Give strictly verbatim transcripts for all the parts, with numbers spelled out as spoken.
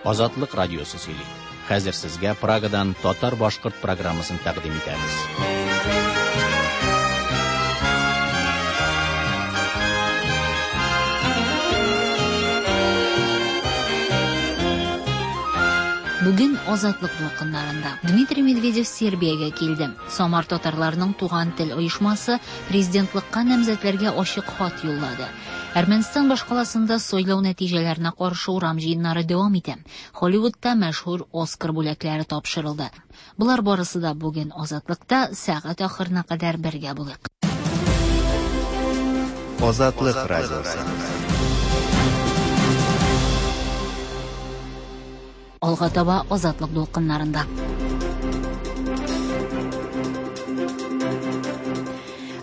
Азатлык радиосы сөйли. Хәзер сезгә Прагадан татар-башкорт программасын тәкъдим итәбез. Бүген Азатлык дулкыннарында Дмитрий Медведев Сербиягә килде. Самар татарларының Туган тел оешмасы президентлыкка намзәтләргә ачык хат юллады. Әрмәнстан башкаласында сайлау нәтиҗәләренә каршы урам җыеннары дәвам итә. Холливудта мәшһүр Оскар бүләкләре тапшырылды. Болар барысы да бүген Азатлыкта сәгать ахырына кадәр бергә булыйк. Азатлык радиосы. Алга таба Азатлык дулкыннарында.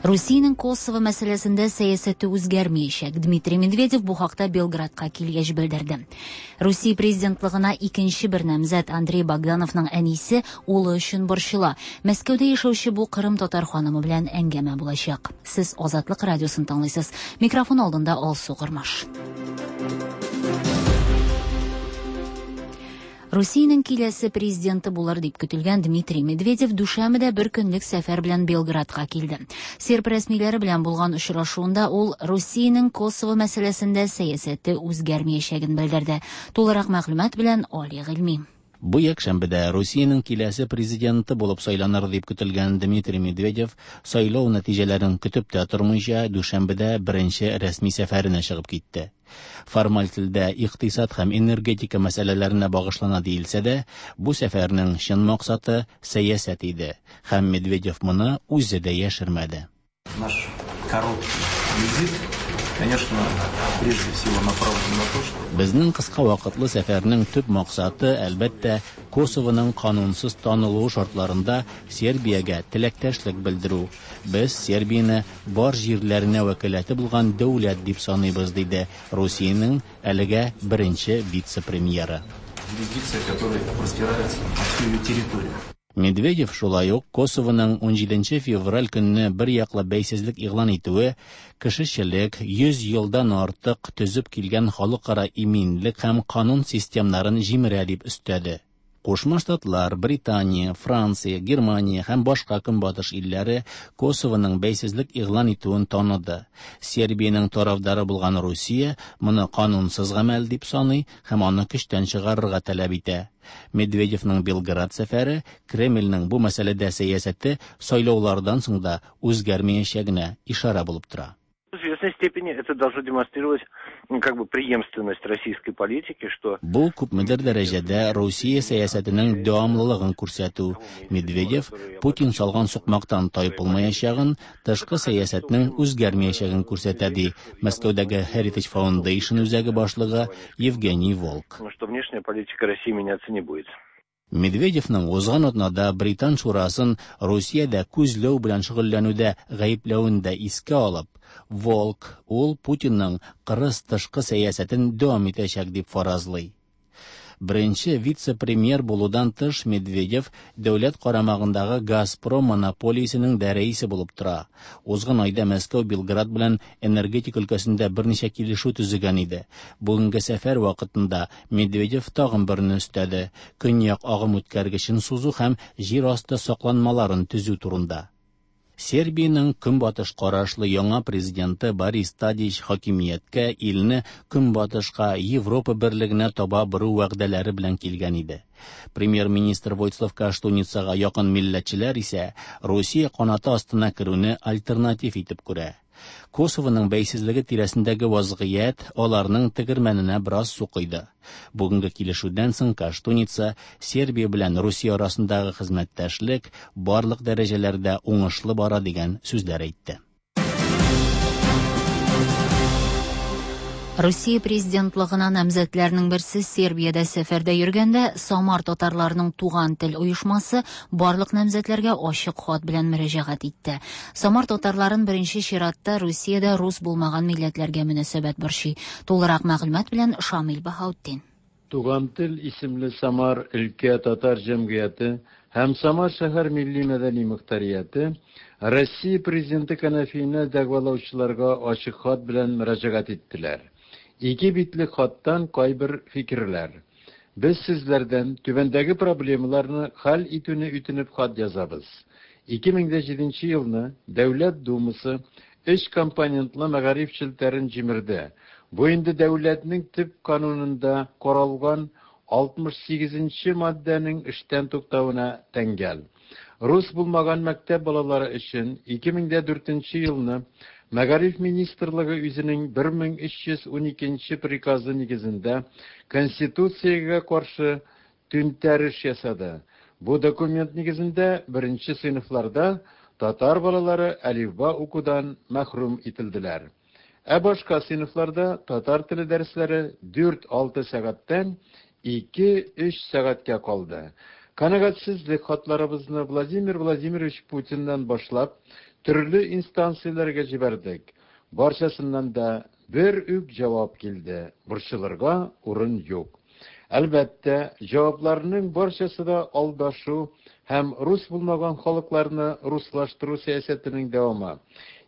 Русиянең Косово мәсьәләсендә сәясәте үзгәрмәячәк. Дмитрий Медведев бу хакта Белградка килгәч белдерде. Русия президентлыгына икенче бер намзәт Андрей Богдановның әнисе улы өчен борчыла. Мәскәүдә яшәүче бу Кырым татар ханымы белән әңгәмә булачак. Сез Азатлык радиосын тыңлыйсыз. Микрофон алдында Алсу Кырмаш. Русиянең киләсе президенты булыр дип көтелгән Дмитрий Медведев дүшәмбедә бер көнлек сәфәр белән Белградка килде. Серб рәсмиләре белән булган очрашуында ул Русиянең Косово мәсьәләсендә сәясәте үзгәрмәячәген белдерде. Тулырак мәгълүмат белән Али Гыйльми. Бу якшәмбедә Русиянең киләсе президенты булып сайланыр дип көтелгән Дмитрий Медведев сайлау нәтиҗәләрен көтеп тә тормыйча дүшәмбедә беренче рәсми сәфәренә чыгып китте. Формаль телдә икътисад һәм энергетика мәсьәләләренә багышлана диелсә дә, бу сәфәрнең чын максаты сәясәт иде, һәм Медведев моны үзе дә яшермәде. Наш короткий визит, конечно, прежде всего направлен на то, что Безнең кыска вакытлы сәфәрнең төп максаты, әлбәттә, Косовоның канунсыз танылуы шартларында Сербиягә теләктәшлек белдерү. Без Сербияне бар җирләренә вәкаләте булган дәүләт дип саныйбыз, диде Русиянең әлегә беренче вице-премьеры. Юрисдикция, которая простирается на всю ее территорию. Медведев шулай ук Косовоның унҗиденче февраль көнне бер яклы бәйсезлек игълан итүе кешечелек йөз елдан артык төзеп килгән халыкара иминлек һәм канун системнарын җимерә дип өстәде. Кушма Штатлар, Британия, Франция, Германия һәм башка көнбатыш илләре Косовоның бәйсезлек игълан итүен таныды. Сербиянең тарафдары булган Русия моны канунсыз гамәл дип саный һәм аны көчтән чыгарырга таләп итә. Медведевның Белград сәфәре Кремльнең бу мәсьәләдә сәясәте сайлаулардан соң да үзгәрмәячәгенә ишарә булып тора. В известной степени это должно демонстрировать, ну, как бы преемственность российской политики, что Бу күпмедер дәрәҗәдә Русия сәясәтенең дәвамлылыгын күрсәтү. Медведев Путин салган сукмактан тайпылмаячагын, тышкы сәясәтнең үзгәрмәячәген күрсәтә, ди Мәскәүдәге Heritage Foundation үзәге башлыгы Евгений Волк. Что внешняя политика России меняться не будет. Медведевның узган атнада Британ шурасын Русиядә күзләү белән шөгыльләнүдә гаепләвен дә искә алып, Волк ул Путинның кырыс тышкы сәясәтен дәвам итәчәк дип фаразлый. Беренче вице-премьер булудан тыш Медведев дәүләт карамагындагы Газпром монополиясенең дә рәисе булып тора. Узган айда Мәскәү Белград белән энергетика өлкәсендә берничә килешү төзегән иде. Бүгенге сәфәр вакытында Медведев тагын берне өстәде: көньяк агым үткәргечен сузу һәм җир асты сакланмаларын төзү турында. Сербиянең көнбатыш карашлы яңа президенты Борис Тадич хакимияткә илне көнбатышка Европа берлегенә таба бору вәгъдәләре белән килгән иде. Премьер-министр Войцлав Каштуницага якын милләтчеләр исә Русия канаты астына керүне альтернатив итеп күрә. Косовоның бәйсезлеге тирәсендәге вазгыять аларның тегермәненә бераз су койды. Бүгенге килешүдән соң Каштуница Сербия белән Русия арасындагы хезмәттәшлек барлык дәрәҗәләрдә уңышлы бара дигән сүзләр әйтте. Русия президентлыгына намзәтләрнең берсе Сербиядә сәфәрдә йөргәндә Самар татарларының Туган тел оешмасы барлык намзәтләргә ачык хат белән мөрәҗәгать итте. Самар татарларын беренче чиратта Русиядә рус булмаган милләтләргә мөнәсәбәт борчый. Тулырак мәгълүмат белән Шамил Баһаутдин. Туган тел исемле Самар өлкә татар җәмгыяте һәм Самар шәһәр милли мәдәни мөхтәрияте Россия президенты кәнәфиенә дәгъвалаучыларга ачык хат белән мөрәҗәгать иттеләр. Ике битле хаттан кайбер фикерләр. Без сезләрдән түбәндәге проблемаларны хәл итүне үтенеп хат язабыз. ике мең дә җиденче елны Дәүләт Думасы өч компонентлы мәгариф челтәрен җимерде. Бу инде дәүләтнең төп канунында каралган алтмыш сигезенче маддәнең эштән туктавына тәңгәл. Рус булмаган мәктәп балалары өчен ике мең дә дүртенче елны Мәгариф министрлыгы үзенең бер мең өч йөз уникенче приказы нигезендә Конституциягә каршы түнтәреш ясады. Бу документ нигезендә беренче сыйныфларда татар балалары әлифба укудан мәхрүм ителделәр. Ә башка сыйныфларда татар теле дәресләре дүрт-алты сәгатьтән ике-өч сәгатькә калды. Канәгатьсезлек хатларыбызны Владимир Владимирович Путиннан башлап төрле инстанцияләргә җибәрдек. Барчасыннан да бер үк җавап килде. Борчылырга урын юк. Әлбәттә, җавапларның барчасы да алдашу һәм рус булмаган халыкларны руслаштыру сәясәтенең дәвамы.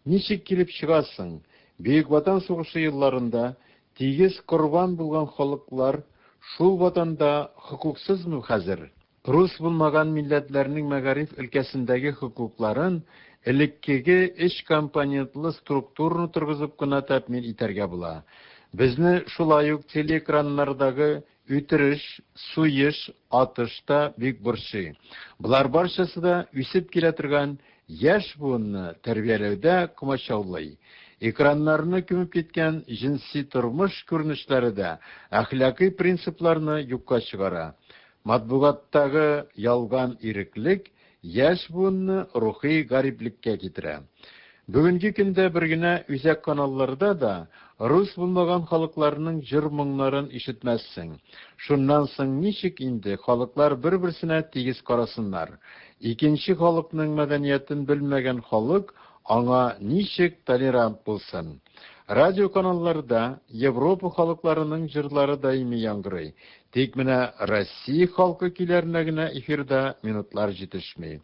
Ничек килеп чыгасың? Бөек Ватан сугышы елларында тигез корбан булган халыклар шул ватанда хокуксызмы хәзер? Рус булмаган милләтләрнең мәгариф өлкәсендәге хокукларын элеккеге өч компонентлы структураны торгызып кына тәэмин итәргә була. Безне шулай ук телеэкраннардагы үтереш, суеш, атыш та бик борчый. Болар барчасы да үсеп килә торган яшь буынны тәрбияләүдә комачаулый. Экраннарны күмеп киткән җенси тормыш күренешләре дә әхлакый принципларны юкка чыгара. Матбугаттагы ялган иреклек яшь буынны рухи гариплеккә китерә. Бүгенге көндә бер генә үзәк каналларда да рус булмаган халыкларның җыр моңнарын ишетмәссең. Шуннан соң ничек инде халыклар бер-берсенә тигез карасыннар? Икенче халыкның мәдәниятен белмәгән халык аңа ничек толерант булсын? Радио каналларда Европа халыкларының җырлары даими яңгырый. Тик менә Россия халкы көйләренә генә эфирда минутлар җитешми.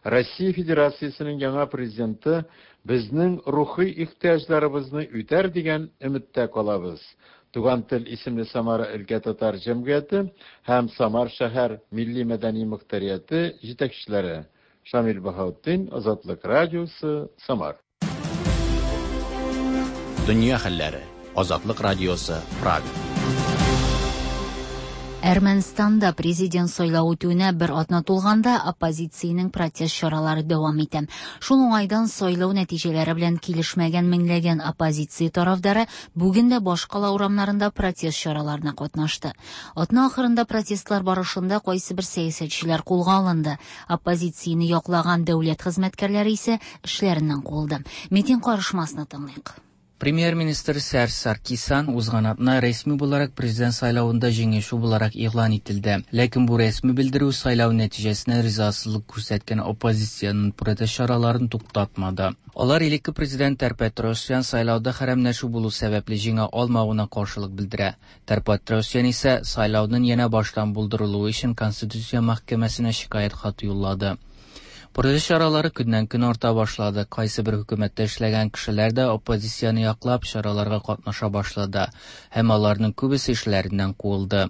Россия Федерациясенең яңа президенты безнең рухи ихтыяҗларыбызны үтәр дигән өметтә калабыз. Туган тел исемле Самара өлкә татар җәмгыяте һәм Самар шәһәр милли мәдәни мөхтәрияте җитәкчеләре Шамил Баһаутдин, Азатлык радиосы, Самар. Дөнья хәлләре. Азатлык радиосы, Прага. Әрмәнстанда президент сайлау үтүенә бер атна тулганда оппозициянең протест чаралары дәвам итә. Шул уңайдан сайлау нәтиҗәләре белән килешмәгән меңләгән оппозиция тарафдары бүген дә башкала урамнарында протест чараларына катнашты. Атна ахырында протестлар барышында кайсы бер сәясәтчеләр кулга алынды. Оппозицияне яклаган дәүләт хезмәткәрләре исә эшләреннән куылды. Митинг карышмасына тыңлыйк. Премьер-министр Серж Саркисян узган атна рәсми буларак президент сайлавында җиңүче буларак игълан ителде. Ләкин бу рәсми белдерү сайлау нәтиҗәсенә ризасызлык күрсәткән оппозициянең протест чараларын туктатмады. Алар элекке президент Тер-Петросян сайлауда хәрәмләшү булу сәбәпле җиңә алмавына каршылык белдерә. Тер-Петросян исә сайлауның янә баштан булдырылуы өчен Конституция мәхкәмәсенә шикаять хаты юллады. Протест чаралары көннән-көн арта башлады. Кайсы бер хөкүмәттә эшләгән кешеләр дә оппозицияне яклап чараларга катнаша башлады һәм аларның күбесе эшләреннән куылды.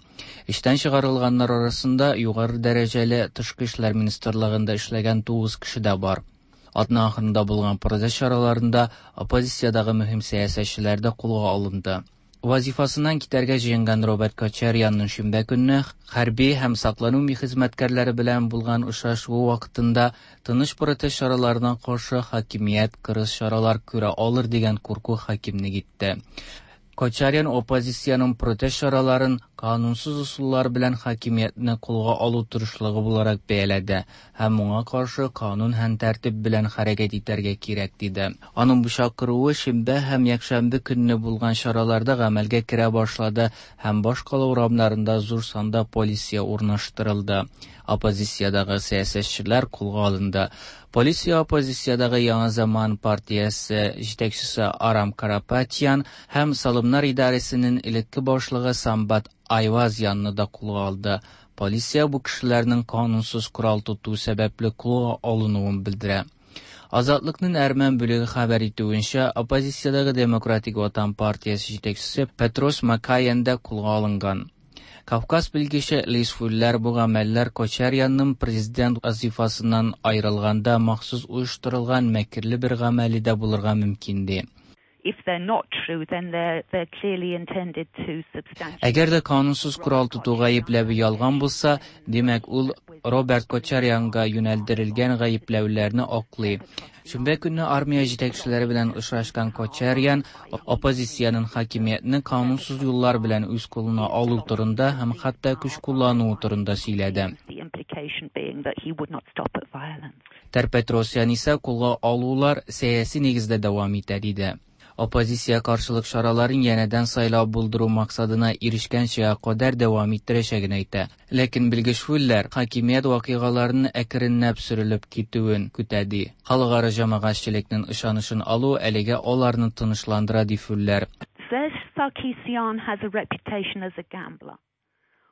Эштән чыгарылганнар арасында югары дәрәҗәле тышкы эшләр министрлыгында эшләгән тугыз кеше дә бар. Атна ахырында булган протест чараларында оппозициядагы мөһим сәясәтчеләр дә кулга алынды. Вазифасыннан китәргә җыенган Роберт Кочарянның шимбә көнне хәрби һәм саклану хезмәткәрләре белән булган очрашуы вакытында тыныч протест чараларына каршы хакимият кырыс чаралар күрә алыр дигән курку хакимлек итте. Кочарян оппозициянең протест чараларын канунсыз ысуллар белән хакимиятне кулга алу тырышлыгы буларак бәяләде һәм моңа каршы канун һәм тәртип белән хәрәкәт итәргә кирәк диде. Аның бу чакыруы шимбә һәм якшәмбе көнне булган чараларда гамәлгә керә башлады һәм башкала урамнарында зур санда полиция урнаштырылды. Оппозициядагы сәясәтчеләр кулга алынды. Полиция оппозициядагы Яңа заман партиясе җитәкчесе Арам Карапатян һәм Салымнар идарәсенең элекке башлыгы Самбат Айвазянны да кулга алды. Полиция бу кешеләрнең канунсыз корал тоту сәбәпле кулга алынуын белдерә. Азатлыкның әрмән бүлеге хәбәр итүенчә, оппозициядагы Демократик Ватан партиясе җитәкчесе Петрос Макаян да кулга алынган. Кавказ белгече Лиз Фуллер бу гамәлләр Кочарянның президент вазифасыннан аерылганда махсус оештырылган мәкерле бер гамәле дә булырга мөмкин ди. If they're not true, then they're, they're clearly intended to substantially... Әгәр дә канунсыз корал тоту гаепләве ялган булса, димәк ул Роберт Кочарянга юнәлдерелгән гаепләүләрне аклый. Шимбә көнне армия җитәкчеләре белән очрашкан Кочарян оппозициянең хакимиятне канунсыз юллар белән үз кулына алу турында һәм хәтта көч куллануы турында сөйләде. Тер-Петросян исә кулга алулар сәяси нигездә дәвам итә диде. Оппозиция каршылык чараларын янәдән сайлау булдыру максатына ирешкәнчә кадәр дәвам иттерәчәген әйтә. Ләкин белгеч Фуллер хакимият вакыйгаларының әкренләп сөрелеп китүен көтә ди. Халыкара җәмәгатьчелекнең ышанычын алу әлегә аларны тынычландыра ди Фуллер. Serge Sarkisyan has a reputation as a gambler.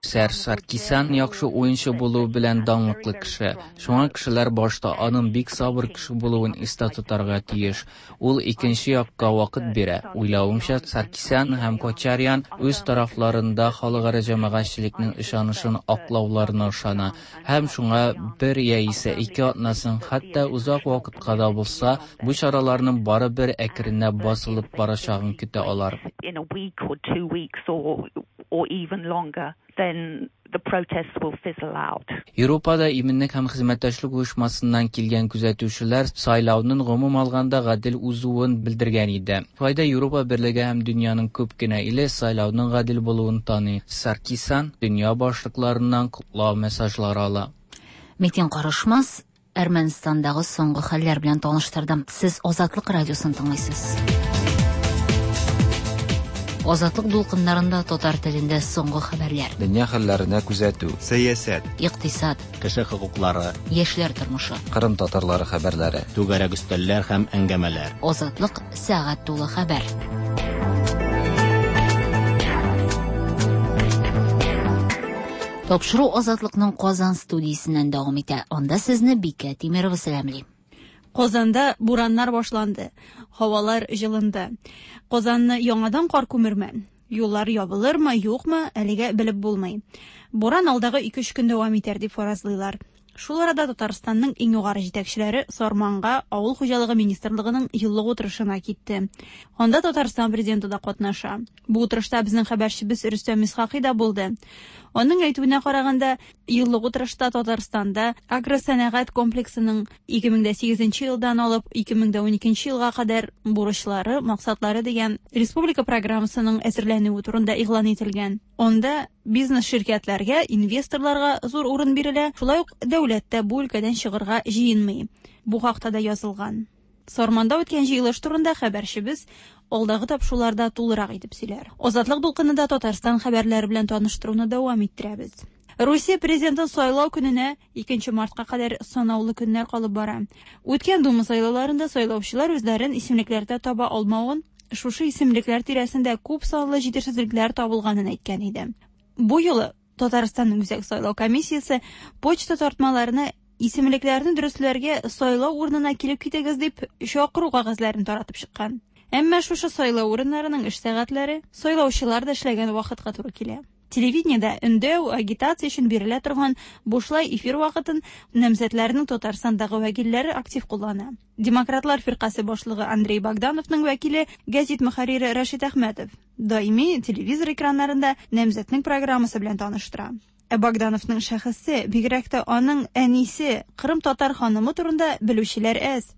Серж Саркисян яхшы уенчы булуы белән данлыклы кеше. Шуңа кешеләр башта аның бик сабыр кеше булуын истә тотарга тиеш. Ул икенче якка вакыт бирә. Уйлавымча, Саркисян һәм Кочарян үз тарафларында халыкара җәмәгатьчелекнең ышанычын аклауларына ышана һәм шуңа бер яисә ике атнасын, хәтта озак вакытка да булса, бу чараларның барыбер әкренләп басылып барачагын көтә алар. In a week or two weeks or or even longer, then the protests will fizzle out. Европада иминлек һәм хезмәттәшлек оешмасыннан килгән күзәтүчеләр сайлауның гомум алганда гадел узуын белдергән иде. Шулай да Европа берлеге һәм дөньяның күп кенә иле сайлауның гадел булуын таный. Саркисян дөнья башлыкларыннан котлау мессажлары ала. Метин Карышмас Әрмәнстандагы соңгы хәлләр белән таныштырды. Сез Азатлык радиосын тыңлыйсыз. Азатлык дулкыннарында татар телендә соңгы хәбәрләр. Дөнья хәлләренә күзәтү, сәясәт, икътисад, кеше хокуклары, яшьләр тормышы, Кырым татарлары хәбәрләре, түгәрәк өстәлләр һәм әңгәмәләр. Азатлык сәгать тулы хәбәр. Тапшыру Азатлыкның Казан студиясеннән дәвам итә. Анда сезне Бикә Тимирова сәламли. Казанда бураннар башланды, һавалар җылынды. Казанны яңадан кар күмерме? Юллар ябылырмы, юкмы, әлегә белеп булмый. Буран алдагы ике-өч көн дәвам итәр дип фаразлыйлар. Шул арада Татарстанның иң югары җитәкчеләре Сарманга Авыл хуҗалыгы министрлыгының еллык утырышына китте. Анда Татарстан президенты да катнаша. Бу утырышта безнең хәбәрчебез Рөстәм Исхакый да булды. Аның әйтүенә караганда, еллык утырышта Татарстанда агросәнәгать комплексының ике мең дә сигезенче елдан алып ике мең дә уникенче елга кадәр бурычлары, максатлары дигән республика программасының әзерләнүе турында игълан ителгән. Анда бизнес ширкәтләргә, инвесторларга зур урын бирелә, шулай ук дәүләт тә бу өлкәдән чыгырга җыенмый. Бу хакта да язылган. Сарманда үткән җыелыш турында хәбәрчебез алдагы тапшыруларда тулырак итеп сөйләр. Азатлык дулкынында Татарстан хәбәрләре белән таныштыруны дәвам иттерәбез. Русия президентын сайлау көненә икенче мартка кадәр санаулы көннәр калып бара. Үткән Дума сайлауларында сайлаучылар үзләрен исемлекләрдә таба алмавын, шушы исемлекләр тирәсендә күп санлы җитешсезлекләр табылганын әйткән иде. Бу юлы Татарстанның Үзәк сайлау комиссиясе почта тартмаларына исемлекләрне дөресләргә сайлау урынына килеп китегез дип чакыру кәгазьләрен таратып чыккан. Әмма шушы сайлау урыннарының эш сәгатьләре сайлаучылар да эшләгән вакытка туры килә. Телевидениедә өндәү, агитация өчен бирелә торган бушлай эфир вакытын намзәтләрнең Татарстандагы вәкилләре актив куллана. Демократлар фиркасе башлыгы Андрей Богдановның вәкиле гәзит мөхәррире Рәшит Әхмәтов даими телевизор экраннарында намзәтнең программасы белән таныштыра. Ә Богдановның шәхесе, бигрәк тә аның әнисе, Кырым татар ханымы турында белүчеләр әз.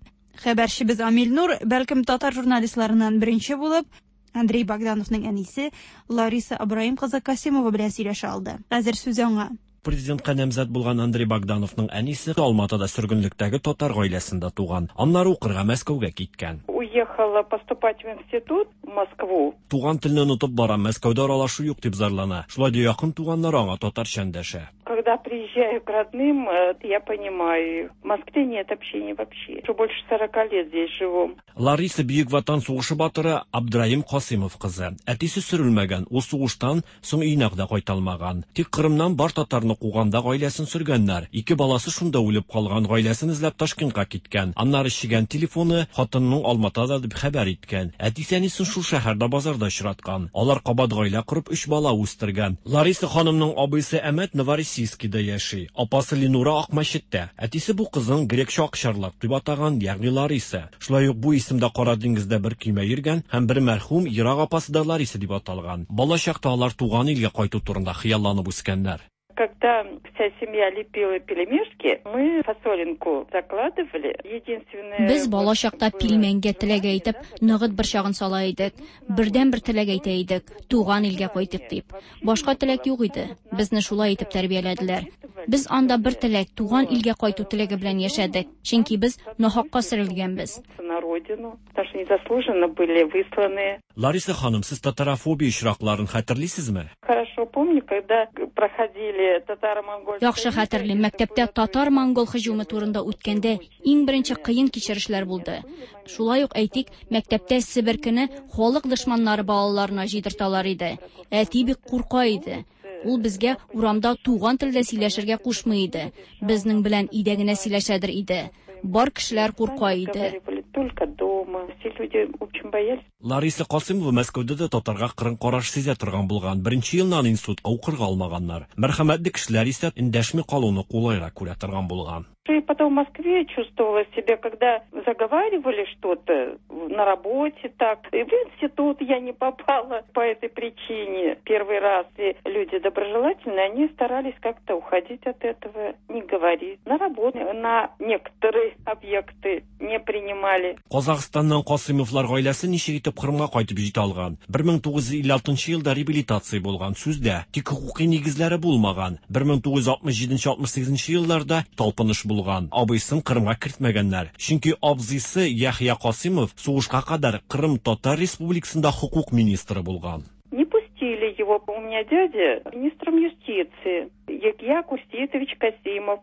Хәбәрчебез Амил Нур, бәлкем татар журналистларыннан беренче булып, Андрей Богдановның әнисе Лариса Абраим кызы Касимова белән сөйләшә алды. Хәзер сүз аңа. Президентка намзәт булган Андрей Богдановның әнисе Алматыда сөргенлектәге татар гаиләсендә туган. Аннары укырга Мәскәүгә киткән. Уехала поступать в институт в Москву. Туган телне онытып бара, Мәскәүдә аралашу юк дип зарлана. Шулай да якын туганнары аңа татарча эндәшә. Когда Когда приезжаю к родным, я понимаю, в Москве нет общения вообще. Уже больше сорока лет здесь живу. Лариса Бөек Ватан сугышы батыры Абдраим Касимов кызы. Әтисе сөрелмәгән, ул сугыштан соң өенә дә кайта алмаган. Тик Кырымнан бар татарны куганда гаиләсен сөргәннәр. Ике баласы шунда үлеп калган, гаиләсен эзләп Ташкентка киткән. Аннары чигән телефоны хатынының Алматада дип хәбәр иткән. Әтисе әнисен шул шәһәрдә базарда очраткан. Алар кабат гаилә корып өч бала үстергән. Лариса ханымның абыйсы Әмәт Новороссийскида яши. Апасы Ленура Акмәчеттә. Әтисе бу кызын грекча акчарлак дип атаган, ягъни Лариса. Шулай ук бу исемдә Кара диңгездә бер көймә йөргән һәм бер мәрхүм ерак апасы да Лариса дип аталган. Бала чакта алар туган илгә кайту турында хыялланып үскәннәр. Когда вся семья лепила пельмешки, мы фасолинку закладывали. Единственное... Без бала чакта пилмәнгә теләк әйтеп, ногыт борчагын сала идек. Бердән бер теләк әйтә идек, туган илгә кайтыйк дип. Башка теләк юк иде. Безне шулай итеп тәрбияләделәр. Без анда бер теләк, туган илгә кайту теләге белән яшәдек. Чөнки без нахакка сөрелгәнбез. На родину, потому что незаслуженно были высланы. Лариса ханым, сез татарофобия очракларын хәтерлисезме? Хорошо помню, когда проходили татаро-монгол. Яхшы хәтерлим, мәктәптә татар-монгол һөҗүме турында үткәндә иң беренче кыен кичерешләр булды. Шулай ук әйтик, мәктәптә себеркене халык дошманнары балаларына җыйдырталар иде. Әти бик курка иде. Ул безгә урамда туган телдә сөйләшергә кушмый иде. Безнең белән өйдә генә сөйләшәдер иде. Бар кешеләр курка иде. Только дома. Все люди очень боялись. Лариса Касимова Мәскәүдә дә татарга кырын караш сизә торган булган. Беренче елны институтка укырга алмаганнар. Мәрхәмәтле кешеләр исә эндәшми калуны кулайрак күрә торган булган. И потом в Москве чувствовала себя, когда заговаривали что-то на работе так. И в институт я не попала по этой причине. Первый раз и люди доброжелательные, они старались как-то уходить от этого, не говорить. На работу, на некоторые объекты не принимали. Казахстаннан Касимовлар гаиләсе ничек итеп Кырымга кайтып җитә алган? бер мең тугыз йөз илле алтынчы елда реабилитация булган, сүздә, тик хукуки нигезләре булмаган. бер мең тугыз йөз алтмыш җиденче алтмыш сигезенче елларда талпыныш булган. Абыйсын Кырымга кертмәгәннәр. Чөнки абзыйсы Яхья Касимов сугышка кадәр Кырым Татар Республикасында хукук министры булган. Не пустили его. У меня дядя министром юстиции Яхья Курситович Касимов.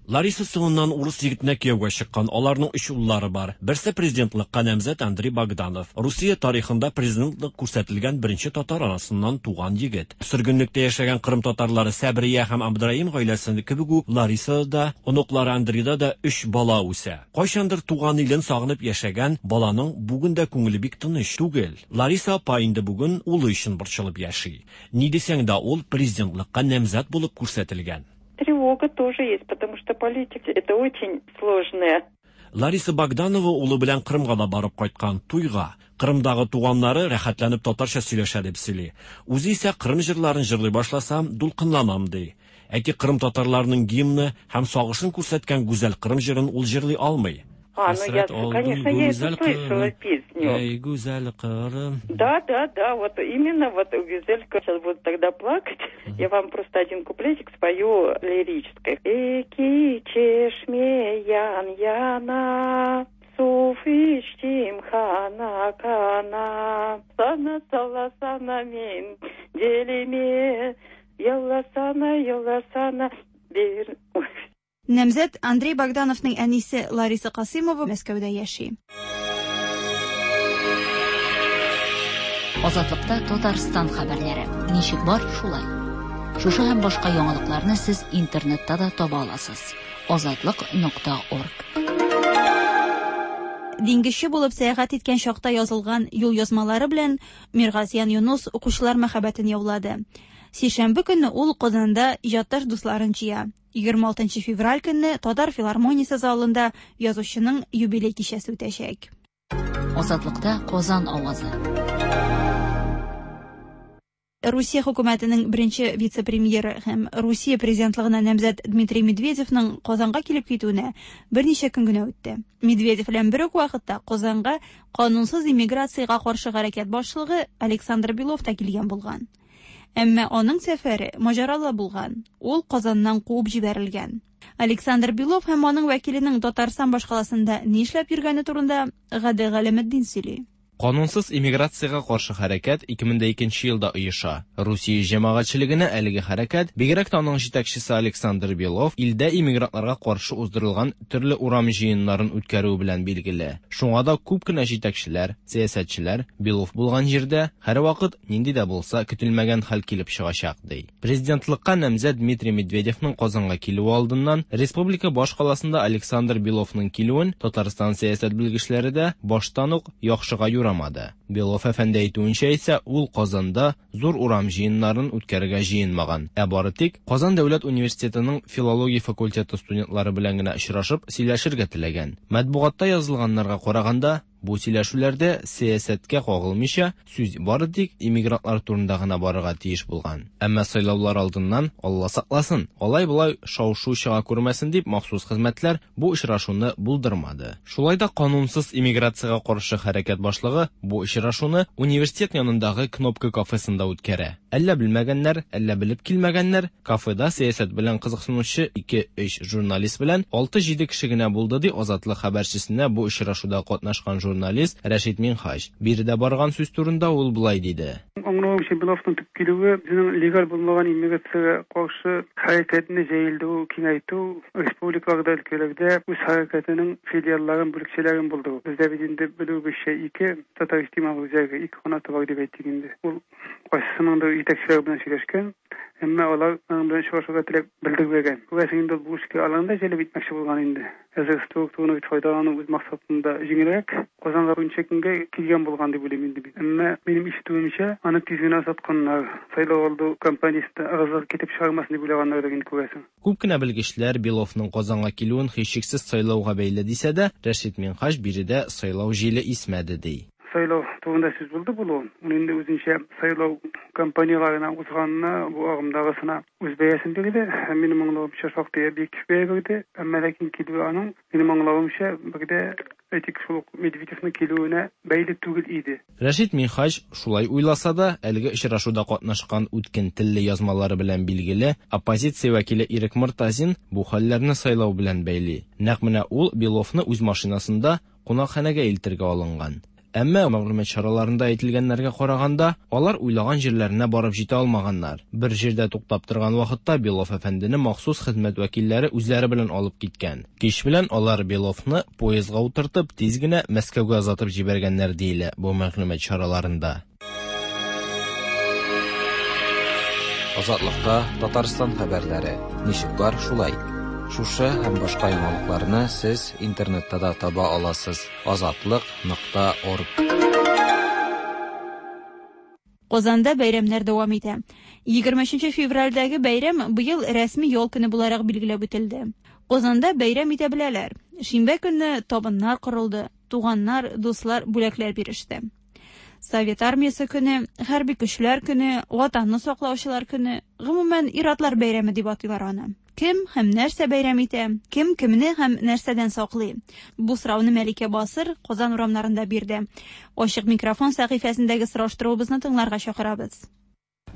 Лариса соңыннан урыс егетенә кияүгә чыккан. Аларның өч уллары бар. Берсе президентлыкка намзәт Андрей Богданов. Русия тарихында президентлык күрсәтелгән беренче татар анасыннан туган егет. Сөргенлектә яшәгән Кырым татарлары Сәбрия һәм Абдраим гаиләсе кебек үк Ларисада да, оныклары Андрейда да өч бала үсә. Кайчандыр туган илен сагынып яшәгән баланың бүген дә күңеле бик тыныч түгел. Лариса апа инде бүген улы өчен борчылып яши. Ни дисәң дә, ул президентлыкка намзәт булып күрсәтелгән. Тревога тоже есть, потому что политика это очень сложная. Лариса Богданова улы белән Кырымга да барып кайткан, туйга. Кырымдагы туганнары рәхәтләнеп татарча сөйләшә дип сөйли. Үзе исә Кырым җырларын җырлый башласам, дулкынланам ди. Әйтик, Кырым татарларының гимны һәм сагышын күрсәткән гүзәл Кырым җырын ул җырлый алмый. А, ну я, конечно, я эту слышала песню. Эй, гүзәл Кырым. Да, да, да, вот именно вот Гүзель, сейчас буду тогда плакать. Я вам просто один куплетик спою лирической. Эки чешме ян яна, суфиштим хана кана, сана сала сана мен делиме, ялла сана, ялла сана, бир. Намзәт Андрей Богдановның әнисе Лариса Касимова Мәскәүдә яши. Азатлыкта Татарстан хәбәрләре. Ничек бар, шулай. Шушы һәм башка яңалыкларны сез интернетта да таба аласыз. азатлык нокта орг. Диңгезче булып сәяхәт иткән чакта язылган юл язмалары белән Миргазиян Юнус укучылар мәхәббәтен яулады. Сишәмбе көнне ул Казанда иҗатташ дусларын җыя. егерме алтынчы февраль көнне Татар филармониясе залында язучының юбилей кичәсе үтәчәк. Азатлыкта Казан авазы. Русия хөкүмәтенең беренче вице-премьеры һәм Русия президентлыгына намзәт Дмитрий Медведевның Казанга килеп китүенә берничә көн генә үтте. Медведев белән бер үк вакытта Казанга канунсыз иммиграциягә каршы хәрәкәт башлыгы Александр Белов та килгән булган. Әмма аның сәфәре маҗаралы булган. Ул Казаннан куып җибәрелгән. Александр Белов һәм аның вәкиленең Татарстан башкаласында ни эшләп йөргәне турында Гадел Галәметдин сөйли. Канунсыз иммиграциягә каршы хәрәкәт ике мең дә икенче елда оеша. Русия җәмәгатьчелегенә әлеге хәрәкәт, бигрәк тә аның җитәкчесе Александр Белов, илдә иммигрантларга каршы уздырылган төрле урам җыеннарын үткәрүе белән билгеле. Шуңа да күп кенә җитәкчеләр, сәясәтчеләр Белов булган җирдә һәрвакыт нинди дә булса көтелмәгән хәл килеп чыгачак, ди. Президентлыкка намзәт Дмитрий Медведевның Казанга килүе алдыннан республика баш каласында Александр Беловның килүен Татарстан сәясәт белгечләре дә баштан ук яхшыга юрамады. Белов әфәнде әйтүенчә исә, ул Казанда зур урам җыеннарын үткәрергә җыенмаган, ә бары тик Казан дәүләт университетының филология факультеты студентлары белән генә очрашып сөйләшергә теләгән. Матбугатта язылганнарга караганда, бу сөйләшүләрдә сәясәткә кагылмыйча, сүз бары тик иммигрантлар турында гына барырга тиеш булган. Әмма сайлаулар алдыннан, Алла сакласын, алай-болай шау-шу чыга күрмәсен дип махсус хезмәтләр бу очрашуны булдырмады. Шулай да канунсыз иммиграциягә каршы хәрәкәт башлыгы бу очрашуны университет янындагы Кнопка кафесында үткәрә. Әллә белмәгәннәр, әллә белеп килмәгәннәр, кафеда сәясәт белән кызыксынучы ике-өч журналист белән алты-җиде кеше генә булды, ди Азатлык хәбәрчесенә бу очрашуда катнашкан журналист Рәшит Минһаҗ. Биредә барган сүз турында ул болай диде. Аңлавымча, Беловның төп килүе безнең легаль булмаган иммиграциягә каршы хәрәкәтне җәелдерү, киңәйтү, республикаларда, өлкәләрдә үз хәрәкәтенең филиалларын, бүлекчәләрен булдыру. Бездә бит инде белүебезчә ике татар иҗтимагый үзәге, ике канаты бар дип әйтик инде. Ул кайсысының да җитәкчеләре белән сөйләшкән, әмма алар аның белән очрашырга теләк белдермәгән. Күрәсең инде, бу эшкә аларны да җәлеп итмәкче булган инде. Әзер структураны бит файдалану үз максатында җиңелрәк. Казанга берничә көнгә килгән булган дип уйлыйм инде. Әмма минем ишетүемчә, аны тиз генә сатканнар. Сайлау алды кампаниясендә ыгы-зыгы китеп чыгармасын дип уйлаганнар инде, күрәсең. Күп кенә белгечләр Беловның Казанга килүен һичшиксез сайлауга бәйле дисә дә, Рәшит Минһаҗ биредә сайлау җиле исмәде, ди. Сайлау турында сүз булды булуын. Ул инде үзенчә сайлау кампанияларына узганына, бу агымдагысына үз бәясен бирде. Һәм минем аңлавымча, шактый объектив бәя бирде. Әмма ләкин килүе аның, минем аңлавымча, бер дә әйтик, шул ук Медведевның килүенә бәйле түгел иде. Рәшит Минһаҗ шулай уйласа да, әлеге очрашуда катнашкан үткен телле язмалары белән билгеле оппозиция вәкиле Ирек Мортазин бу хәлләрне сайлау белән бәйли. Нәкъ менә ул Беловны үз машинасында кунакханәгә илтергә алынган. Әмма мәгълүмат чараларында әйтелгәннәргә караганда, алар уйлаган җирләренә барып җитә алмаганнар. Бер җирдә туктап торган вакытта Белов әфәндене махсус хезмәт вәкилләре үзләре белән алып киткән. Кич белән алар Беловны поездга утыртып, тиз генә Мәскәүгә озатып җибәргәннәр, диелә бу мәгълүмат чараларында. Азатлыкта Татарстан хәбәрләре. Ничек бар, шулай. Шушы һәм башка яңалыкларны сез интернетта да таба аласыз. Азатлык нокта орг. Казанда бәйрәмнәр дәвам итә. Егерме өченче февральдәге бәйрәм быел рәсми ял көне буларак билгеләп үтелде. Казанда бәйрәм итә беләләр. Шимбә көнне табыннар корылды, туганнар, дуслар бүләкләр биреште. Совет армиясе көне, хәрби көчләр көне, ватанны саклаучылар көне, гомумән ир-атлар бәйрәме дип атыйлар аны. Кем һәм нәрсә бәйрәм итә, кем кемне һәм нәрсәдән саклый? Бу сорауны Мәликә Басыр Казан урамнарында бирде. Ачык микрофон сәхифәсендәге сораштыруыбызны тыңларга чакырабыз.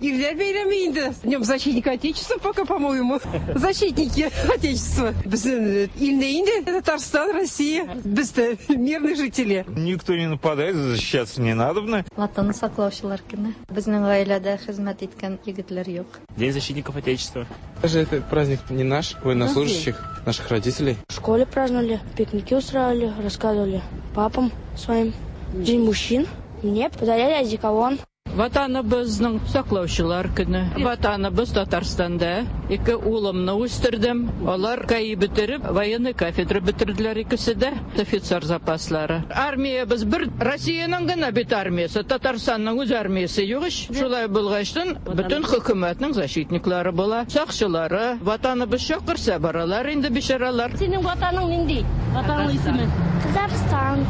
Ирләр бәйрәме инде. Днем защитника Отечества пока, по-моему. Защитники Отечества. Безнең илне инде Татарстан, Россия. Без дә мирные жители. Никто не нападает, защищаться не надобно. Ватанны саклаучылар көне. Безнең гаиләдә хезмәт иткән егетләр юк. День защитников Отечества. Даже этот праздник не наш, военнослужащих, наших родителей. В школе праздновали, пикники устраивали, рассказывали папам своим. День мужчин. Мне подарили одеколон. Ватаныбызның саклаучылар көне. Ватаныбыз Татарстанда. Ике улымны үстердем. Алар КАИ бетереп, военный кафедра бетерделәр икесе дә. Офицер запаслары. Армиябыз бер Россиянең генә бит армиясе, Татарстанның үз армиясе юк ич. Шулай булгачтын бөтен хөкүмәтнең защитниклары була, сакчылары. Ватаныбыз чакырса баралар инде бичаралар. Синең ватаның нинди? Ватаның исеме? Казахстан.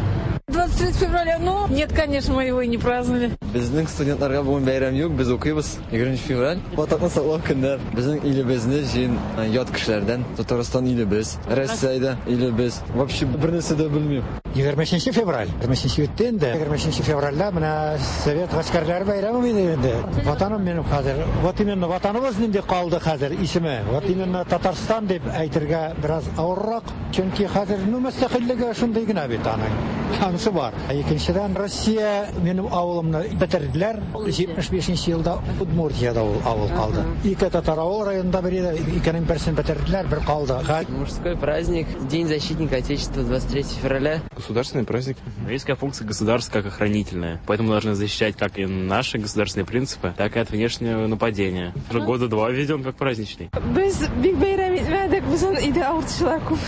двадцать третьего февраля, ну, нет, конечно, мы его и не праздновали. Безнең студентларга бүген бәйрәм юк, без укыйбыз. егерме февраль. Ватанны саклау көннәр. Безнең илебезне җыен ят кешеләрдән. Татарстан илебез, Россиядә илебез. Вообще бер нәрсә дә белмим. егерме өченче февраль. егерме өченче үтте инде. егерме өченче февральдә менә Совет гаскәрләре бәйрәме иде инде. Ватаным минем хәзер. Вот именно ватаныбыз нинди калды хәзер исеме. Вот именно Татарстан дип әйтергә бераз авыррак. Чөнки хәзер ну мөстәкыйльлеге шундый гына бит аның. Анысы бар. Икенчедән, Россия минем авылымны бетерделәр. җитмеш бишенче елда Удмуртиядә ул авыл калды. Ике татар авыл районында бер иде, икенең берсен бетерделәр, бер калды. Мужской праздник, День защитника Отечества, двадцать третье февраля. Государственный праздник. Есть функция государства как охранительная, поэтому должны защищать как и наши государственные принципы, так и от внешнего нападения. Уже года два введен как праздничный. Без бик бәйрәм итмәдек, безнең өйдә авыртучылар күп.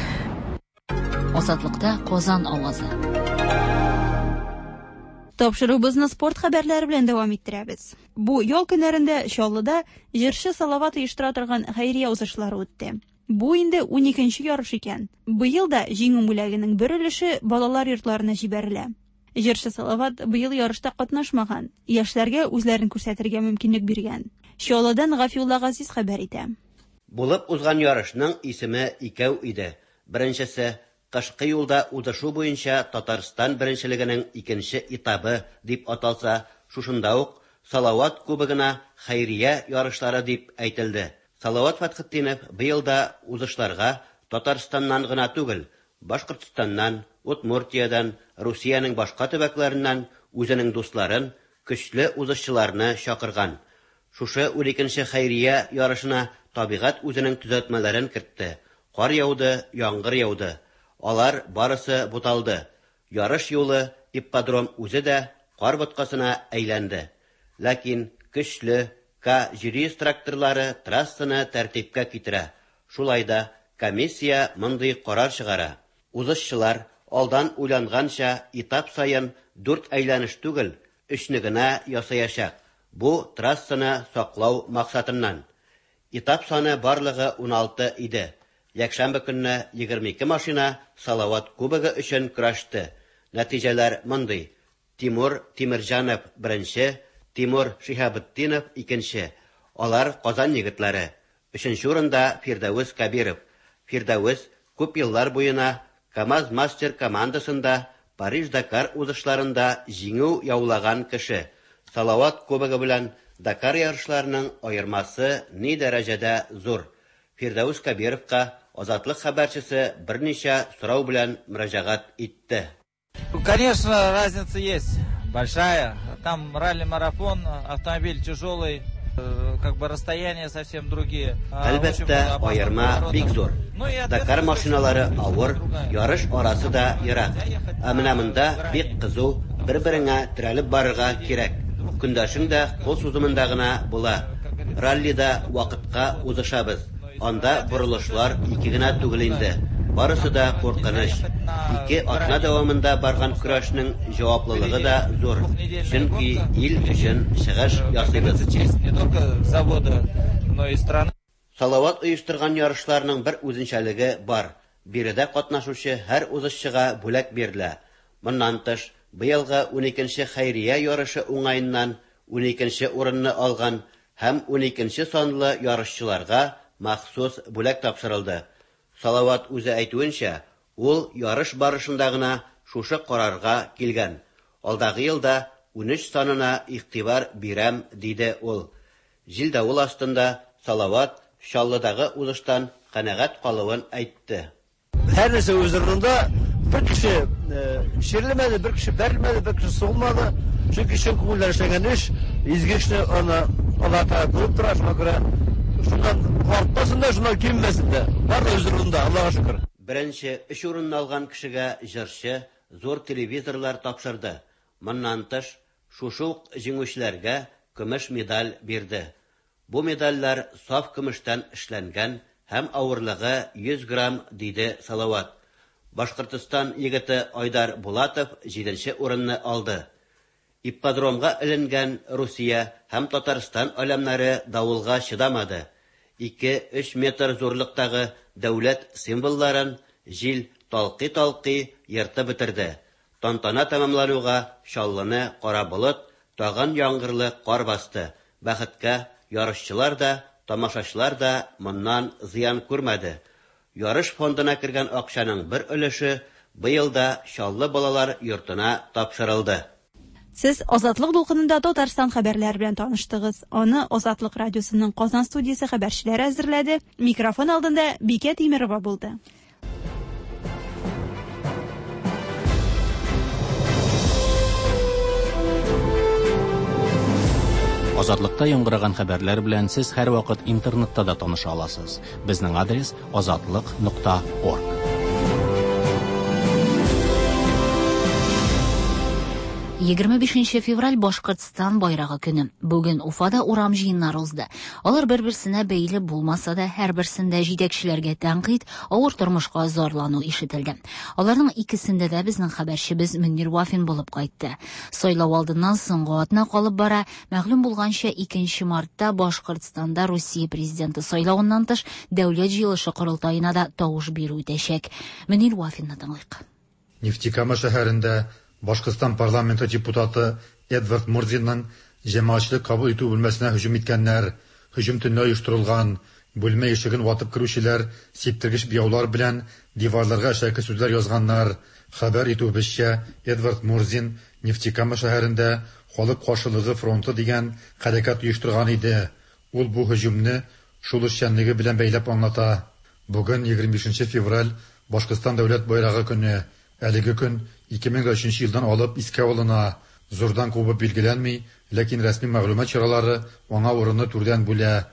Азатлыкта Казан авазы. Тапшыруыбызны спорт хәбәрләре белән дәвам иттерәбез. Бу ял көннәрендә Чаллыда җырчы Салават оештыра торган хәйрия узышлары үтте. Бу инде ун икенче ярыш икән. Быел да җиңү бүләгенең бер өлеше балалар йортларына җибәрелә. Җырчы Салават быел ярышта катнашмаган, яшьләргә үзләрен күрсәтергә мөмкинлек биргән. Чаллыдан Гафиулла Газиз хәбәр итә. Булып узган ярышның исеме икәү иде. Беренчесе кышкы юлда узышу буенча Татарстан беренчелегенең икенче этабы дип аталса, шушында ук Салават кубогына хәйрия ярышлары дип әйтелде. Салават Фәтхетдинов быел да узышларга Татарстаннан гына түгел, Башкортстаннан, Удмуртиядән, Русиянең башка төбәкләреннән үзенең дусларын, көчле узышчыларны чакырган. Шушы ун икенче хәйрия ярышына табигать үзенең төзәтмәләрен кертте. Кар яуды, яңгыр яуды. Алар барысы буталды. Ярыш юлы ипподром үзе дә кар боткасына әйләнде. Ләкин көчле К җиде йөз тракторлары трассаны тәртипкә китерә. Шулай да комиссия мондый карар чыгара. Узышчылар алдан уйланганча этап саен дүрт әйләнеш түгел, өчне генә ясаячак. Бу трассаны саклау максатыннан. Этап саны барлыгы ун алты иде. Якшәмбе көнне егерме ике машина Салават кубогы өчен көрәште. Нәтиҗәләр мондый: Тимур Тимирҗанов беренче, Тимур Шиһабетдинов икенче. Алар Казан егетләре. Өченче урында Фирдәвес Кабиров. Фирдәвес күп еллар буена КАМАЗ мастер командасында Париж-Дакар узышларында җиңү яулаган кеше. Салават кубогы белән Дакар ярышларының аермасы ни дәрәҗәдә зур. Фирдәвес Кабировка Азатлык хәбәрчесе берничә сорау белән мөрәҗәгать итте. Конечно, разница есть большая. Там ралли-марафон, автомобиль тяжелый, как бы расстояния совсем другие. Әлбәттә, аерма бик зур. Дакар машиналары авыр, ярыш арасы да ерак. Ә менә монда бик кызу, бер-береңә терәлеп барырга кирәк. Көндәшең дә кул сузымында гына була. Раллида вакытка узышабыз. Анда борылышлар ике генә түгел инде. Барысы да куркыныч. Ике атна дәвамында барган көрәшнең җаваплылыгы да зур. Чөнки ил өчен чыгыш ясыйбыз. Салават оештырган ярышларның бер үзенчәлеге бар. Биредә катнашучы һәр узышчыга бүләк бирелә. Моннан тыш, быелгы ун икенче хәйрия ярышы уңаеннан ун икенче урынны алган һәм ун икенче санлы ярышчыларга махсус бүләк тапшырылды. Салават үзе әйтүенчә, ул ярыш барышында гына шушы карарга килгән. Алдагы елда ун өч санына игътибар бирәм, диде ул. Җил-давыл астында Салават Чаллыдагы узыштан канәгать калуын әйтте. Һәр нәрсә үз урынында, бер кеше чирлемәде, бер кеше бәрелмәде, бер кеше сугылмады. Чөнки чын күңелдән эшләнгән эш, изге эшне аны Аллаһ Тәгалә күреп тора, шуңа күрә шуннан артмасын да, шуннан киммәсен дә. Бар да үз урынында, Аллаһка шөкер. Беренче өч урынны алган кешегә җырчы зур телевизорлар тапшырды. Моннан тыш, шушы ук җиңүчеләргә көмеш медаль бирде. Бу медальләр саф көмештән эшләнгән һәм авырлыгы йөз грамм, диде Салават. Башкортстан егете Айдар Булатов җиденче урынны алды. Ипподромга эленгән Русия һәм Татарстан аләмнәре давылга чыдамады. Ике-өч метр зурлыктагы дәүләт символларын җил талкый-талкый ертып бетерде. Тантана тәмамлануга Чаллыны кара болыт, тагын яңгырлы кар басты. Бәхеткә, ярышчылар да, тамашачылар да моннан зыян күрмәде. Ярыш фондына кергән акчаның бер өлеше быел да Чаллы балалар йортына тапшырылды. Сез Азатлык дулкынында Татарстан хәбәрләре белән таныштыгыз. Аны Азатлык радиосының Казан студиясе хәбәрчеләре әзерләде. Микрофон алдында Бикә Тимирова булды. Азатлыкта яңгыраган хәбәрләр белән сез һәрвакыт интернетта да таныша аласыз. Безнең адрес азатлык нокта орг. Егерме бишенче февраль Башкортстан байрагы көне. Бүген Уфада урам җыеннары узды. Алар бер-берсенә бәйле булмаса да, һәрберсендә җитәкчеләргә тәнкыйть, авыр тормышка зарлану ишетелде. Аларның икесендә дә безнең хәбәрчебез Мөнир Вафин булып кайтты. Сайлау алдыннан соңгы атна калып бара. Мәгълүм булганча, икенче мартта Башкортстанда Русия президенты сайлавыннан тыш дәүләт җыелышы корылтаена да тавыш бирү үтәчәк. Мөнир Вафинны тыңлыйк. Нефтекама шәһәрендә Башкортстан парламенты депутаты Эдвард Мурзинның җәмәгатьчелек кабул итү бүлмәсенә һөҗүм иткәннәр. Һөҗүм төнлә оештырылган. Бүлмә ишеген ватып керүчеләр сиптергеч буяулар белән диварларга әшәке сүзләр язганнар. Хәбәр итүебезчә, Эдвард Мурзин Нефтекама шәһәрендә халык каршылыгы фронты дигән хәрәкәт оештырган иде. Ул бу һөҗүмне шул эшчәнлеге белән бәйләп аңлата. Бүген егерме бишенче февраль Башкортстан дәүләт байрагы көне. Әлеге көн ике мең өченче елдан алып искә алына. Зурдан кубып билгеләнми, ләкин рәсми мәгълүмат чаралары аңа урынны түрдән бүлә.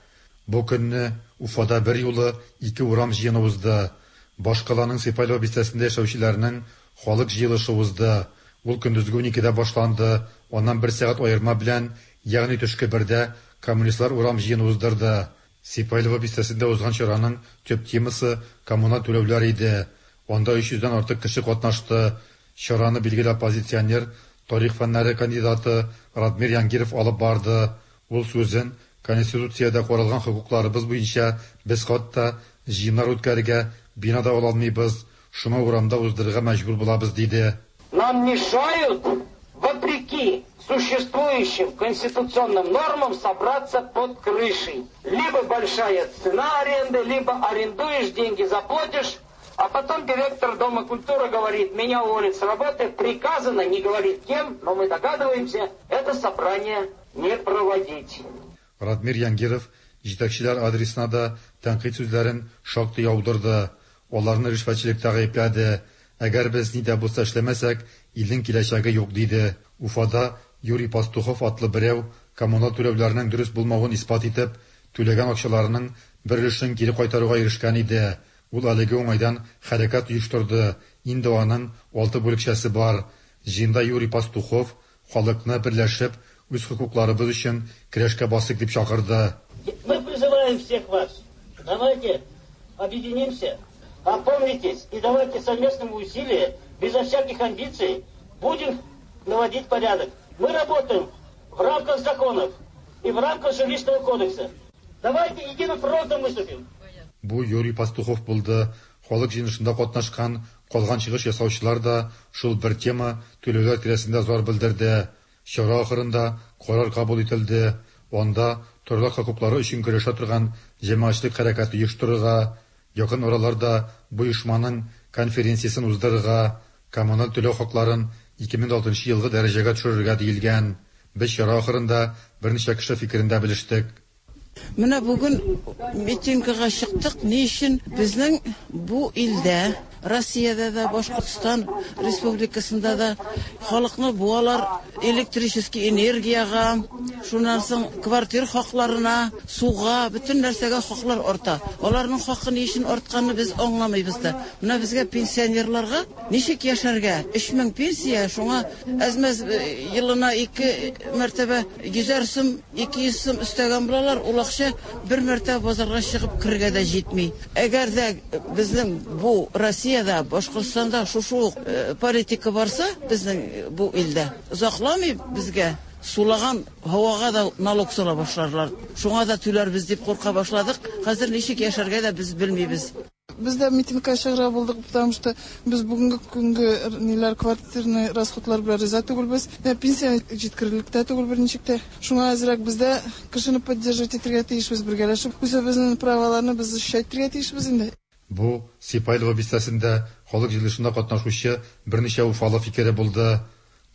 Бу көнне Уфада бер юлы ике урам җыены узды. Башкаланың Сипайлово бистәсендә яшәүчеләрнең халык җыелышы узды. Ул көндезге уникедә башланды. Аннан бер сәгать аерма белән, ягъни төшке бердә коммунистлар урам җыены уздырды. Сипайлово бистәсендә узган чараның төп темасы коммуналь түләүләр иде. Анда өч йөздән артык кеше катнашты. Чараны билгеле оппозиционер, тарих фәннәре кандидаты Радмир Янгиров алып барды. Ул сүзен Конституциядә каралган хокукларыбыз буенча без хатта җыеннар үткәрергә бинада ала алмыйбыз, шуңа урамда уздырырга мәҗбүр булабыз, диде. Нам мешают, вопреки существующим конституционным нормам, собраться под крышей. Либо большая цена аренды, либо арендуешь, деньги заплатишь, а потом директор Дома культуры говорит, меня уволят с работы, приказано, не говорит кем, но мы догадываемся, это собрание не проводить. Радмир Янгиров җитәкчеләр адресына да тәнкыйть сүзләрен шактый яудырды. Аларны ришвәтчелектә гаепләде. Әгәр без ни дә булса эшләмәсәк, илнең киләчәге юк, диде. Уфада Юрий Пастухов атлы берәү коммуналь түләүләрнең дөрес булмавын исбат итеп, түләгән акчаларының бер өлешен кире кайтаруга ирешкән иде. Ул әлеге уңайдан хәрәкәт оештырды. Инде аның алты бүлекчәсе бар. Җыенда Юрий Пастухов халыкны берләшеп, үз хокукларыбыз өчен көрәшкә басыйк дип чакырды. Мы призываем всех вас. Давайте объединимся, опомнитесь и давайте совместными усилиями, безо всяких амбиций, будем наводить порядок. Мы работаем в рамках законов и в рамках жилищного кодекса. Давайте единым фронтом выступим. Бу Юрий Пастухов булды. Халык җыелышында катнашкан калган чыгыш ясаучылар да шул бер тема түләүләр тирәсендә зар белдерде. Чара ахырында карар кабул ителде. Анда торак хокуклары өчен көрәшә торган җәмәгатьчелек хәрәкәте оештырырга, якын араларда бу оешманың конференциясен уздырырга, коммуналь түләү хакларын ике мең алтынчы елгы дәрәҗәгә төшерергә диелгән. Без чара ахырында берничә кеше фикерен дә белештек. Менә бүген митингага чыктык. Ни өчен безнең бу илдә, Россиядә дә, Башкортстан Республикасында да халыкны буалар электрический энергияга, шуннан соң квартир хакларына, суга, бөтен нәрсәгә хаклар арта. Аларның хакы ни өчен артканын без аңламыйбыз да. Менә безгә пенсионерларга ничек яшәргә? Өч мең пенсия, шуңа әз-мәз елына ике мәртәбә йөзәр сум, ике йөз сум өстәгән булалар. Ул акча бер мәртәбә базарга чыгып керергә дә җитми. Әгәр дә безнең бу Россиядә, Башкортстанда шушы ук политика барса, безнең бу илдә озакламый безгә сулаган һавага да налог сала башларлар. Шуңа да түләрбез дип курка башладык. Хәзер ничек яшәргә дә без белмибез. Без дә митингка чыгарга булдык, потому что без бүгенге көнге ниләр квартирный расходлар белән риза түгелбез. Пенсия җиткерерлек тә түгел берничек тә. Шуңа әзрәк без дә кешене поддерживать итәргә тиешбез, бергәләшеп үзебезнең праваларны без защищать итәргә тиешбез инде. Бу Сипайлово бистәсендә халык җыелышында катнашучы берничә уфалы фикере булды.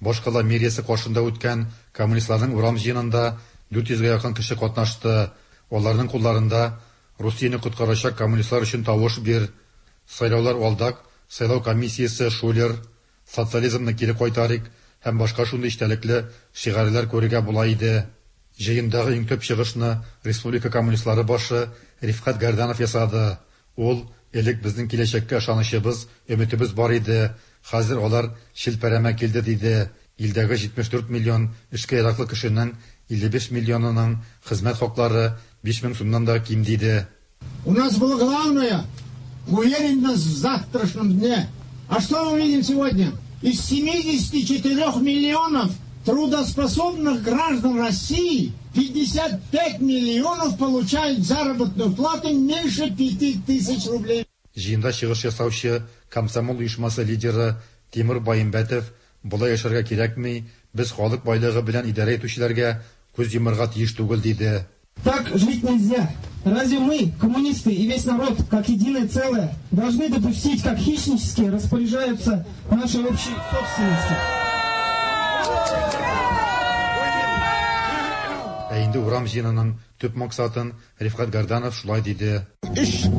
Башкала мэриясе каршында үткән коммунистларның урам җыенында дүрт йөзгә якын кеше катнашты. Аларның кулларында Русияне коткарачак коммунистлар өчен тавыш бир, сайлаулар алдак, сайлау комиссиясе шулер, социализмны кире кайтарыйк һәм башка шундый эчтәлекле шигарьләр күрергә була иде. Җыендагы иң төп чыгышны республика коммунистлары башы Рифкать Гәрданов ясады. Ул элек безнең киләчәккә ышанычыбыз, өметебез бар иде. Хәзер алар челпәрәмә килде диде. Илдәге җитмеш дүрт миллион эшкә яраклы кешенең илле биш миллионының хезмәт хаклары биш мең сумнан да ким диде. У нас было главное уверенность в завтрашнем дне. А что мы видим сегодня? Из семидесяти четырёх миллионов трудоспособных граждан России пятьдесят пять миллионов получают заработную плату меньше пяти тысяч рублей. Җыенда чыгыш ясаучы комсомол оешмасы лидеры Тимур Баимбәтов болай яшәргә кирәкми, без халык байлыгы белән идарә итүчеләргә күз йомарга тиеш түгел диде. Так жить нельзя. Разве мы, коммунисты и весь народ, как единое целое, должны допустить, как хищнически распоряжаются нашей общей собственностью? Ә инде урам җыенының төп максатын Рифкать Гәрданов шулай диде. Өч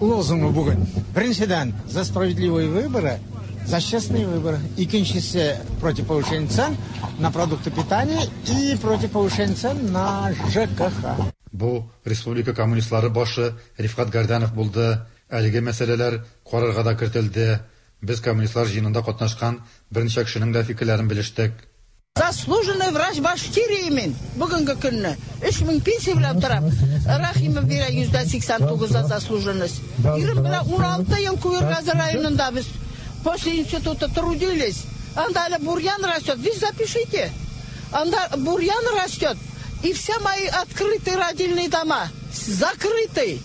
лозунгы бүген. Беренчедән, за справедливые выборы, за честные выборы. Икенчесе, против повышения цен на продукты питания и против повышения цен на ЖКХ. Бу республика коммунистлары башы Рифкать Гәрданов булды. Әлеге мәсьәләләр карарга да кертелде. Без коммунистлар җыенында катнашкан берничә кешенең дә фикерләрен белештек. Заслуженный врач Башкирии мин бүгенге көнне өч мең пенсия белән торам. Рахимов бирә йөздә сиксән тугыз заслуженность. Ирем белән уналты ел Куергазы районында без после института трудились. Анда әле бурьян растет. Вы запишите. Анда бурьян растет. И все мои открытые родильные дома закрыты.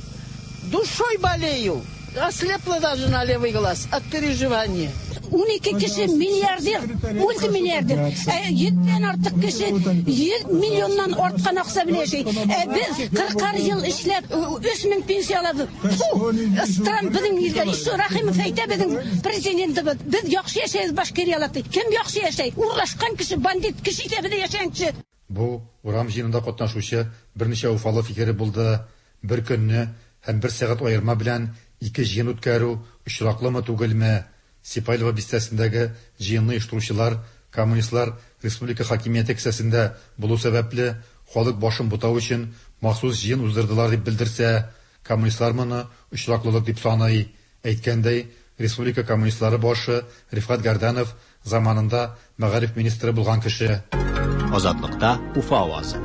Душой болею. Ослепла даже на левый глаз от переживания. Унике кеше миллиардер, мультимиллиардер. Йөздән артык кеше йөз миллионнан арткан акча белән яши. Ә без кырыкар ел эшләп өч мең пенсия алабыз. Фу, стран безнең илгә. Ишо Рахимов әйтә безнең президентыбыз. Без яхшы яшәйбез Башкириялар. Кем яхшы яшәй? Урлашкан кеше, бандит кеше исәбендә яшәгән кеше. Бу урам җыенында катнашучы берничә уфалы фикере булды. Бер көнне һәм бер сәгать аерма белән ике җыен үткәрү очраклымы түгелме? Сипайлова бистәсендәге җыенны оештыручылар, коммунистлар республика хакимияте кесәсендә булу сәбәпле халык башын бутау өчен махсус җыен уздырдылар дип белдерсә, коммунистлар моны очраклылык дип саный. Әйткәндәй, республика коммунистлары башы Рифкать Гәрданов заманында мәгариф министры булган кеше. Азатлыкта Уфа авазы.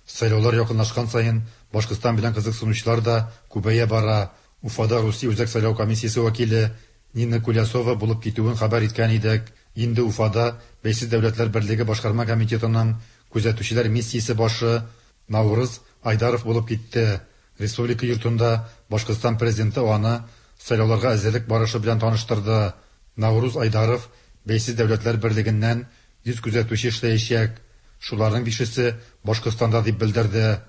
Сайлаулар якынлашкан саен Башкортстан белән кызыксынучылар да күбәя бара. Уфада Русия Үзәк сайлау комиссиясе вәкиле Нина Кулясова булып китүен хәбәр иткән идек. Инде Уфада Бәйсез Дәүләтләр Берлеге башкарма комитетының күзәтүчеләр миссиясе башы Наурыз Айдаров булып китте. Республика йортында Башкортстан президенты аны сайлауларга әзерлек барышы белән таныштырды. Наурыз Айдаров Бәйсез Дәүләтләр Берлегеннән йөз күзәтүче эшләячәк. Шуларның бишесе Башкортстанда дип белдерде.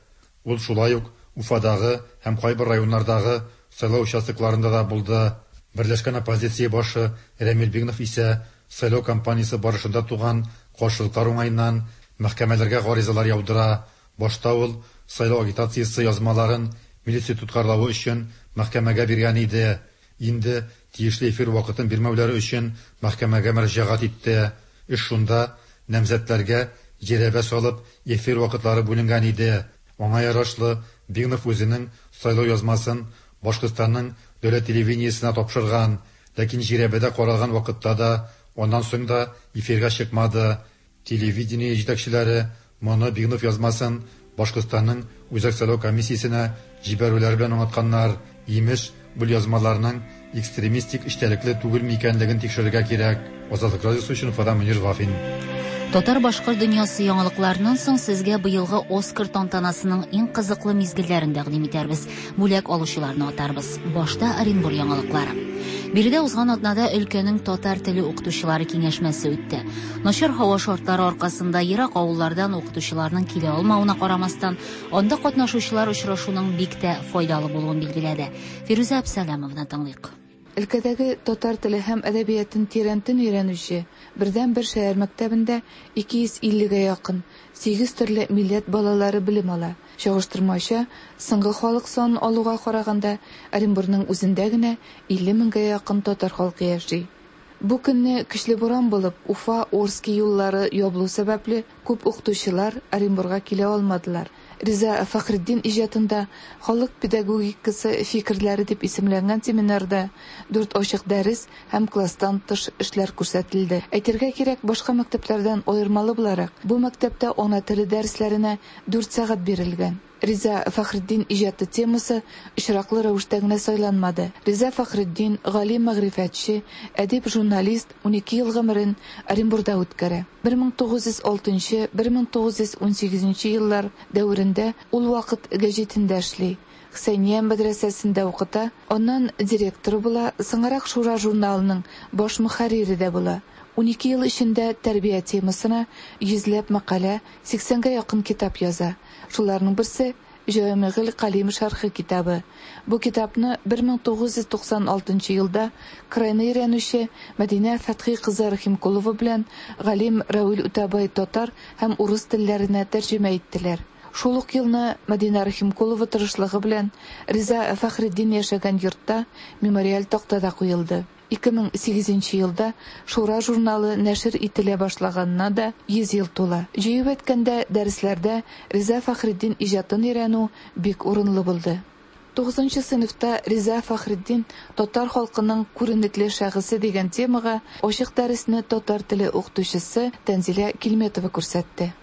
Ул шулай ук Уфадагы һәм кайбер районнардагы сайлау участокларында да булды. Берләшкән оппозиция башы Рәмил Бигнов исә сайлау кампаниясе барышында туган каршылыклар уңаеннан мәхкәмәләргә гаризалар яудыра. Башта ул сайлау агитациясе язмаларын милиция тоткарлавы өчен мәхкәмәгә биргән иде. Инде тиешле эфир вакытын бирмәүләре өчен мәхкәмәгә мөрәҗәгать итте. Эш шунда намзәтләргә җирәбә салып эфир вакытлары бүленгән иде. Аңа ярашлы Бигнов үзенең сайлау язмасын Башкортстанның дәүләт телевидениесенә тапшырган, ләкин җирәбәдә каралган вакытта да, аннан соң да эфирга чыкмады. Телевидение җитәкчеләре моны Бигнов язмасын Башкортстанның Үзәк сайлау комиссиясенә җибәрүләре белән аңлатканнар. Имеш, бу язмаларның экстремистик эчтәлекле түгелме икәнлеген тикшерергә кирәк. Азатлык радиосы өчен Уфадан Мөнир Вафин. Татар-башкорт дөньясы яңалыкларыннан соң сезгә быелгы Оскар тантанасының иң кызыклы мизгелләрен тәкъдим итәрбез. Бүләк алучыларны атарбыз. Башта Оренбур яңалыклары. Биредә узган атнада өлкәнең татар теле укытучылары киңәшмәсе үтте. Начар һава шартлары аркасында ерак авыллардан укытучыларның килә алмавына карамастан, анда катнашучылар очрашуның бик тә файдалы булуын билгеләде. Фирүзә Әбсәләмовна тыңлыйк. Өлкәдәге татар теле һәм әдәбиятын тирәнтен өйрәнүче бердәнбер шәһәр мәктәбендә ике йөз иллегә якын сигез төрле милләт балалары белем ала. Чагыштырмача, соңгы халык санын алуга караганда, Оренбурның үзендә генә илле меңгә якын татар халкы яши. Бу көнне көчле буран булып, Уфа, Орски юллары ябылу сәбәпле күп укытучылар Оренбурга килә алмадылар. Риза Фәхретдин иҗатында халык педагогикасы фикерләре дип исемләнгән семинарда дүрт ачык дәрес һәм класстан тыш эшләр күрсәтелде. Әйтергә кирәк, башка мәктәпләрдән аермалы буларак, бу мәктәптә ана теле дәресләренә дүрт сәгать бирелгән. Риза Фәхретдин иҗаты темасы очраклы рәвештә генә сайланмады. Риза Фәхретдин гали мәгърифәтче, әдип, журналист унике ел гомерен Оренбурда үткәрә. бер мең тугыз йөз алтынчы - бер мең тугыз йөз унсигезенче еллар дәверендә ул вакыт гәҗитендә эшли. Хөсәйния мәдрәсәсендә укыта, аннан директоры була, соңрак Шура журналының баш мөхәррире дә була. Унике ел эчендә тәрбия темасына йөзләп мәкалә, сиксәнгә якын китап яза. Шуларның берсе Җәвамигыл Калим шәрхе китабы. Бу китапны бер мең тугыз йөз туксан алтынчы елда крайны өйрәнүче Мәдинә Фәтхи кызы Рахимкулова белән галим Равил Үтәбай татар һәм урыс телләренә тәрҗемә иттеләр. Шул ук елны Мәдинә Рахимкулова тырышлыгы белән Риза Фәхретдин яшәгән йортта мемориаль такта да куелды. Ике мең сигезенче елда Шура журналы нәшер ителә башлаганына да йөз ел тула. Җыеп әйткәндә, дәресләрдә Риза Фәхретдин иҗатын өйрәнү бик урынлы булды. Тугызынчы сыйныфта Риза Фәхретдин татар халкының күренекле шәхесе дигән темага ачык дәресне татар теле укытучысы Тәнзилә Килметова күрсәтте.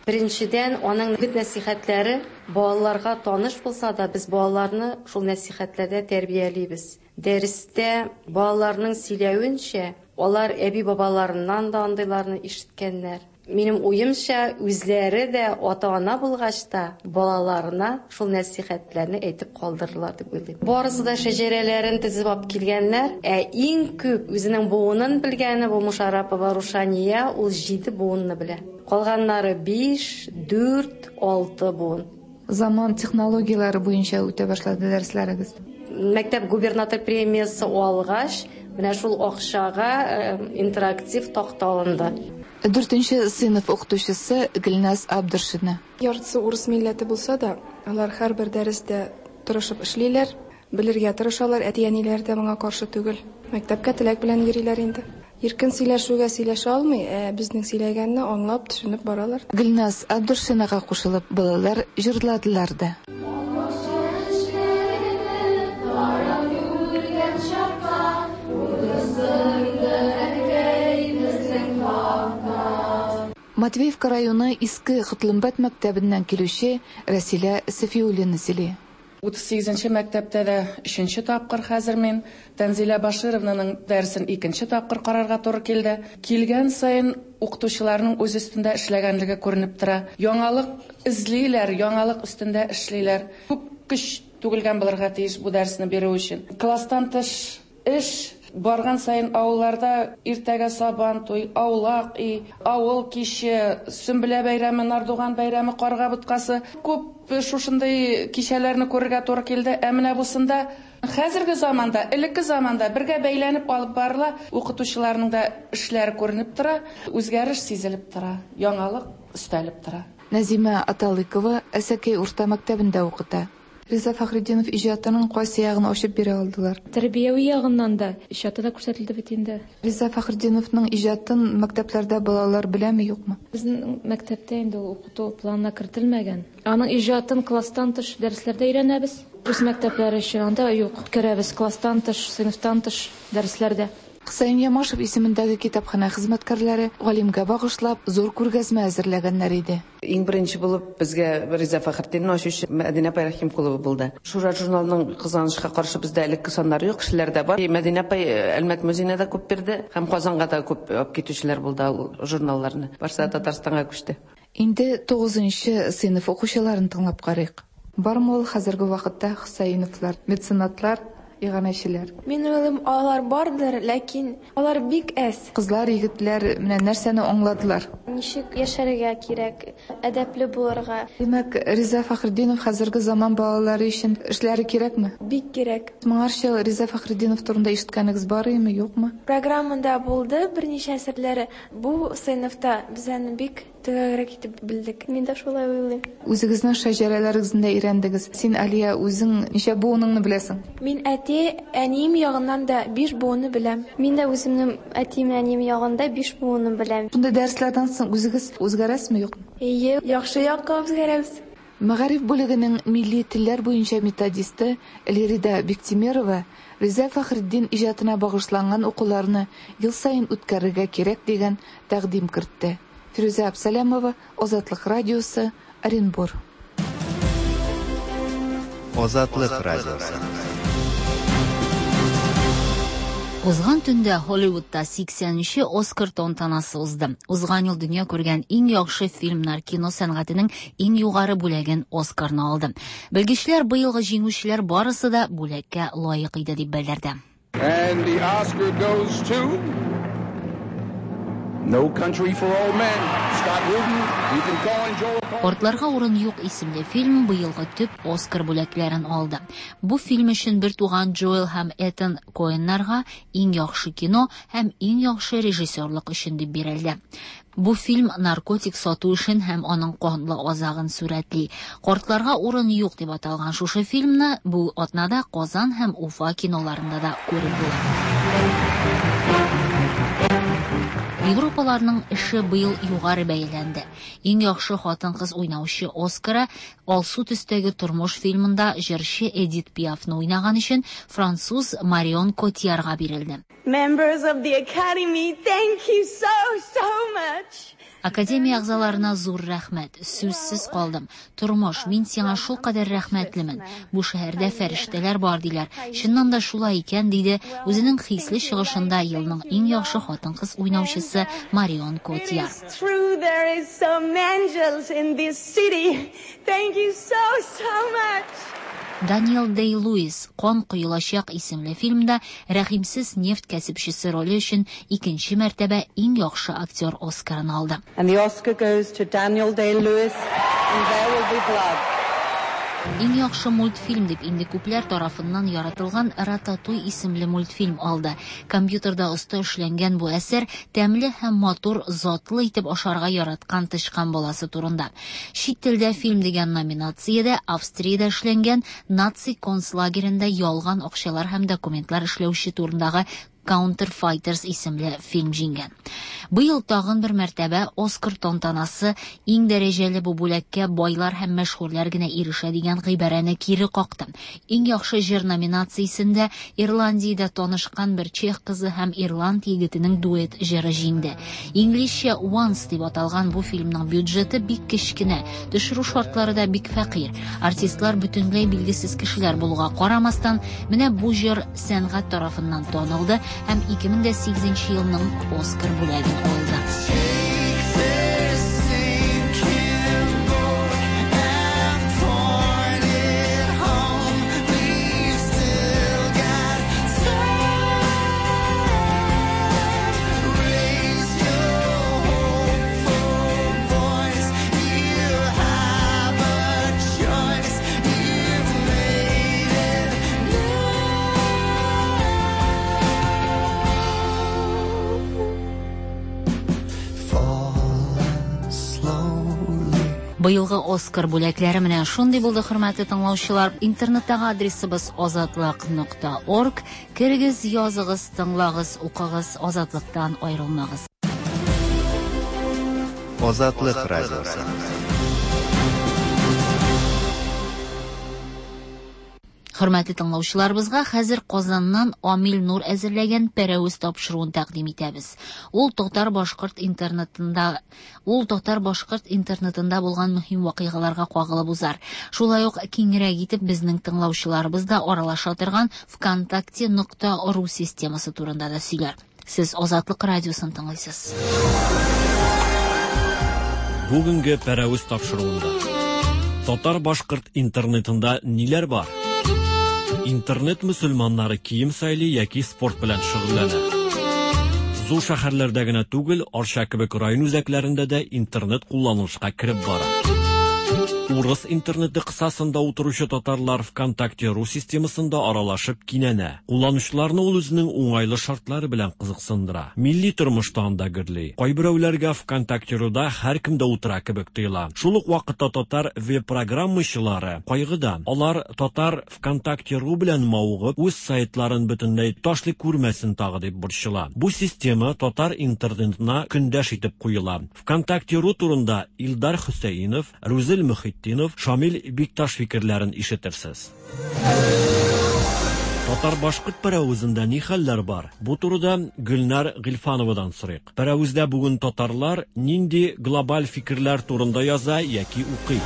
Беренчедән, аның үгет нәсихәтләре балаларга таныш булса да, без балаларны шул нәсихәтләрдә тәрбиялибез. Дәрестә балаларның сөйләвенчә, алар әби-бабаларыннан да андыйларны ишеткәннәр. Минем уемча, үзләре дә ата-ана булгач та балаларына шул нәсихәтләрне әйтеп калдырырлар дип уйлыйм. Барысы да шәҗәрәләрен тезеп алып килгәннәр. Ә иң күп үзенең буынын белгәне бу Мушарапова Рушания, ул җиде буынны белә. Калганнары биш, дүрт, алты буын. Заман технологияләре буенча үтә башлады дәресләрегез. Мәктәп губернатор премиясе алгач, менә шул акчага интерактив такта алынды. Дүртенче сыйныф укытучысы Гөлназ Абдыршина. Яртысы урыс милләте булса да, алар һәрбер дәрестә тырышып эшлиләр, белергә тырышалар, әти-әниләр дә моңа каршы түгел. Мәктәпкә теләк белән йөриләр инде. Иркен сөйләшүгә сөйләшә алмый, ә безнең сөйләгәнне аңлап, төшенеп баралар. Гөлназ Абдыршинага кушылып балалар җырладылар да. Матвеевка районы Иске Котлымбәт мәктәбеннән килүче Рәсилә Сафиуллина сөйли. Утыз сигезенче мәктәптә дә өченче тапкыр хәзер мин Тәнзилә Башировнаның дәресен икенче тапкыр карарга туры килде. Килгән саен укытучыларның үз өстендә эшләгәнлеге күренеп тора. Яңалык эзлиләр, яңалык өстендә эшлиләр. Күп көч түгелгән булырга тиеш бу дәресне бирү өчен. Класстан тыш эш барган сайын авылларда иртәгә сабан туй, аулак өй, авыл киче, Сөмбелә бәйрәме, Нардуган бәйрәме, карга боткасы. Күп шушындый кичәләрне күрергә туры килде. Ә менә бусында хәзерге заманда, элекке заманда бергә бәйләнеп алып барыла, укытучыларның да эшләре күренеп тора, үзгәреш сизелеп тора, яңалык өстәлеп тора. Назима Аталыкова Әсәкәй урта мәктәбендә укыта. Риза Фәхретдинов иҗатының кайсы ягын ачып бирә алдылар? Тәрбияви ягыннан да иҗаты да күрсәтелде бит инде. Риза Фәхретдиновның иҗатын мәктәпләрдә балалар беләме, юкмы? Безнең мәктәптә инде ул укыту планына кертелмәгән. Аның иҗатын класстан тыш дәресләрдә өйрәнәбез. Рус мәктәпләре өчен анда юк. Керәбез класстан тыш, сыйныфтан тыш дәресләрдә. Хөсәен Ямашев исемендәге китапханә хезмәткәрләре галимгә багышлап зур күргәзмә әзерләгәннәр иде. Иң беренче булып безгә Риза Фәхретдинны ачучы Мәдинә апай Рахимкулова булды. Шура журналының кызганычка каршы бездә элекке саннары юк, кешеләр дә бар. Мәдинә апай Әлмәт музеена да күп бирде һәм Казанга да күп алып китүчеләр булды ул журналларны. Барсы Татарстанга күчте. Инде тугызынчы сыйныф укучыларын тыңлап карыйк. Бармы ул хәзерге вакытта Хөсәеновлар, меценатлар, иганәчеләр? Мин уйлыйм, алар бардыр, ләкин алар бик әз. Кызлар, егетләр менә нәрсәне аңладылар? Ничек яшәргә кирәк, әдәпле булырга. Димәк, Риза Фәхретдинов хәзерге заман балалары өчен эшләре кирәкме? Бик кирәк. Моңарчы Риза Фәхретдинов турында ишеткәнегез бар име, юкмы? Программада булды берничә әсәрләре. Бу сыйныфта без аны бик Төгәлрәк итеп белдек. Мин дә шулай уйлыйм. Үзегезнең шәҗәрәләрегезне дә өйрәндегез. Син, Алия, үзең ничә буыныңны беләсең? Мин әти, әнием ягыннан да биш буынны беләм. Мин дә үземнең әтием, әнием ягында биш буынны беләм. Шундый дәресләрдән соң үзегез үзгәрәсезме, юкмы? Әйе, яхшы якка үзгәрәбез. Мәгариф бүлегенең милли телләр буенча методисты Лирида Биктимерова Риза Фәхретдин иҗатына багышланган укуларны ел саен үткәрергә кирәк дигән тәкъдим кертте. Фирүзә Абсалямова, Азатлык радиосы, Оренбур. Азатлык радиосы. Узган төндә Hollywoodта сиксәненче Оскар тантанасы узды. Узган ел дөнья күргән иң яхшы фильмнар кино сәнгатенең иң югары бүләген Оскарны алды. Белгечләр быелгы җиңүчеләр барысы да бүләккә лаек иде дип белдерде. And the Oscar goes to No Country for Old Men. Scott Rudin, Ethan Coen, Joel Coen. Картларга урын юк исемле фильм быелгы төп Оскар бүләкләрен алды. Бу фильм өчен бер туган Джоэл һәм Этан Коэннарга иң яхшы кино һәм иң яхшы режиссерлык өчен дип бирелде. Бу фильм наркотик сату эшен һәм аның канлы азагын сурәтли. Картларга урын юк дип аталган шушы фильмны бу атнада Казан һәм Уфа киноларында да күреп була. Европаларның эше быел югары бәяләнде. Иң яхшы хатын-кыз уйнаучы Оскара Алсу төстәге тормыш фильмында җырчы Эдит Пиафны уйнаган өчен француз Марион Котиярга бирелде. Members of the Academy, thank you so, so much. Академия әгъзаларына зур рәхмәт. Сүзсез калдым. Тормыш, мин сиңа шул кадәр рәхмәтлемен. Бу шәһәрдә фәрештәләр бар диләр. Чыннан да шулай икән, диде үзенең хисле чыгышында елның иң яхшы хатын-кыз уйнаучысы Марион Котияр. It's true there is some angels in this city. Thank you so, so much. Даниэл Дэй-Луис «Кан коелачак» исемле фильмда рәхимсез нефть кәсепчесе роле өчен икенче мәртәбә иң яхшы актер Оскарын алды. And the Oscar goes to Daniel Day-Lewis, and There Will Be Blood. Иң яхшы мультфильм дип инде күпләр тарафыннан яратылган Рататуй исемле мультфильм алды. Компьютерда оста эшләнгән бу әсәр тәмле һәм матур, затлы итеп ашарга яраткан тычкан баласы турында. Чит телдә фильм дигән номинациядә Австриядә эшләнгән наци концлагерендә ялган акчалар һәм документлар эшләүче турындагы Counterfighters исемле фильм җиңгән. Быел тагын бер мәртәбә Оскар тантанасы иң дәрәҗәле бу бүләккә байлар һәм мәшһүрләр генә ирешә дигән гыйбарәне кире какты. Иң яхшы җыр номинациясендә Ирландиядә танышкан бер чех кызы һәм ирланд егетенең дуэт җыры җиңде. Инглизчә Once дип аталган бу фильмның бюджеты бик кечкенә, төшерү шартлары да бик фәкыйрь. Артистлар бөтенләй билгесез кешеләр булуга карамастан, менә бу җыр сәнгать тарафыннан танылды һәм ике мең дә сигезенче елның Оскар бүләген алды. Быелгы Оскар бүләкләре менә шундый булды, хөрмәтле тыңлаучылар. Интернеттагы адресыбыз азатлык нокта орг. Керегез, языгыз, тыңлагыз, укыгыз, Азатлыктан аерылмагыз. Азатлык радиосы. Хөрмәтле тыңлаучыларыбызга хәзер Казаннан Амил Нур әзерләгән Пәрәвез тапшыруын тәкъдим итәбез. Ул татар-башкорт интернетында, ул татар-башкорт интернетында булган мөһим вакыйгаларга кагылып узар. Шулай ук киңрәк итеп безнең тыңлаучыларыбыз да аралаша торган ВКонтакте нокта ру системасы турында да сөйләр. Сез Азатлык радиосын тыңлыйсыз. Бүгенге Пәрәвез тапшыруында татар-башкорт интернетында ниләр бар? Интернет мөселманнары кием сайлый яки спорт белән шөгыльләнә. Зур шәһәрләрдә генә түгел, Арча кебек район үзәкләрендә дә интернет кулланылышка кереп бара. Урыс интернеты кысасында утыручы татарлар ВКонтакте.ру системасында аралашып кинәнә. Кулланучыларны ул үзенең уңайлы шартлары белән кызыксындыра. Милли тормышта анда гөрли. Кайберәүләргә ВКонтакте.руда һәркем дә утыра кебек тоела. Шул ук вакытта татар веб-программачылары кайгыда. Алар татар ВКонтакте.ру белән мавыгып, үз сайтларын бөтенләй ташлый күрмәсен тагы дип борчыла. Бу система татар интернетына көндәш итеп куела. ВКонтакте.ру турында Илдар Хөсәенов, Рузил Мөхетдинов, Шамил Бикташ фикерләрен ишетерсез. Татар-башкорт пәрәвезендә ни хәлләр бар? Бу турыда Гөлнар Гыйльфановадан сорыйк. Пәрәвездә бүген татарлар нинди глобаль фикерләр турында яза яки укый?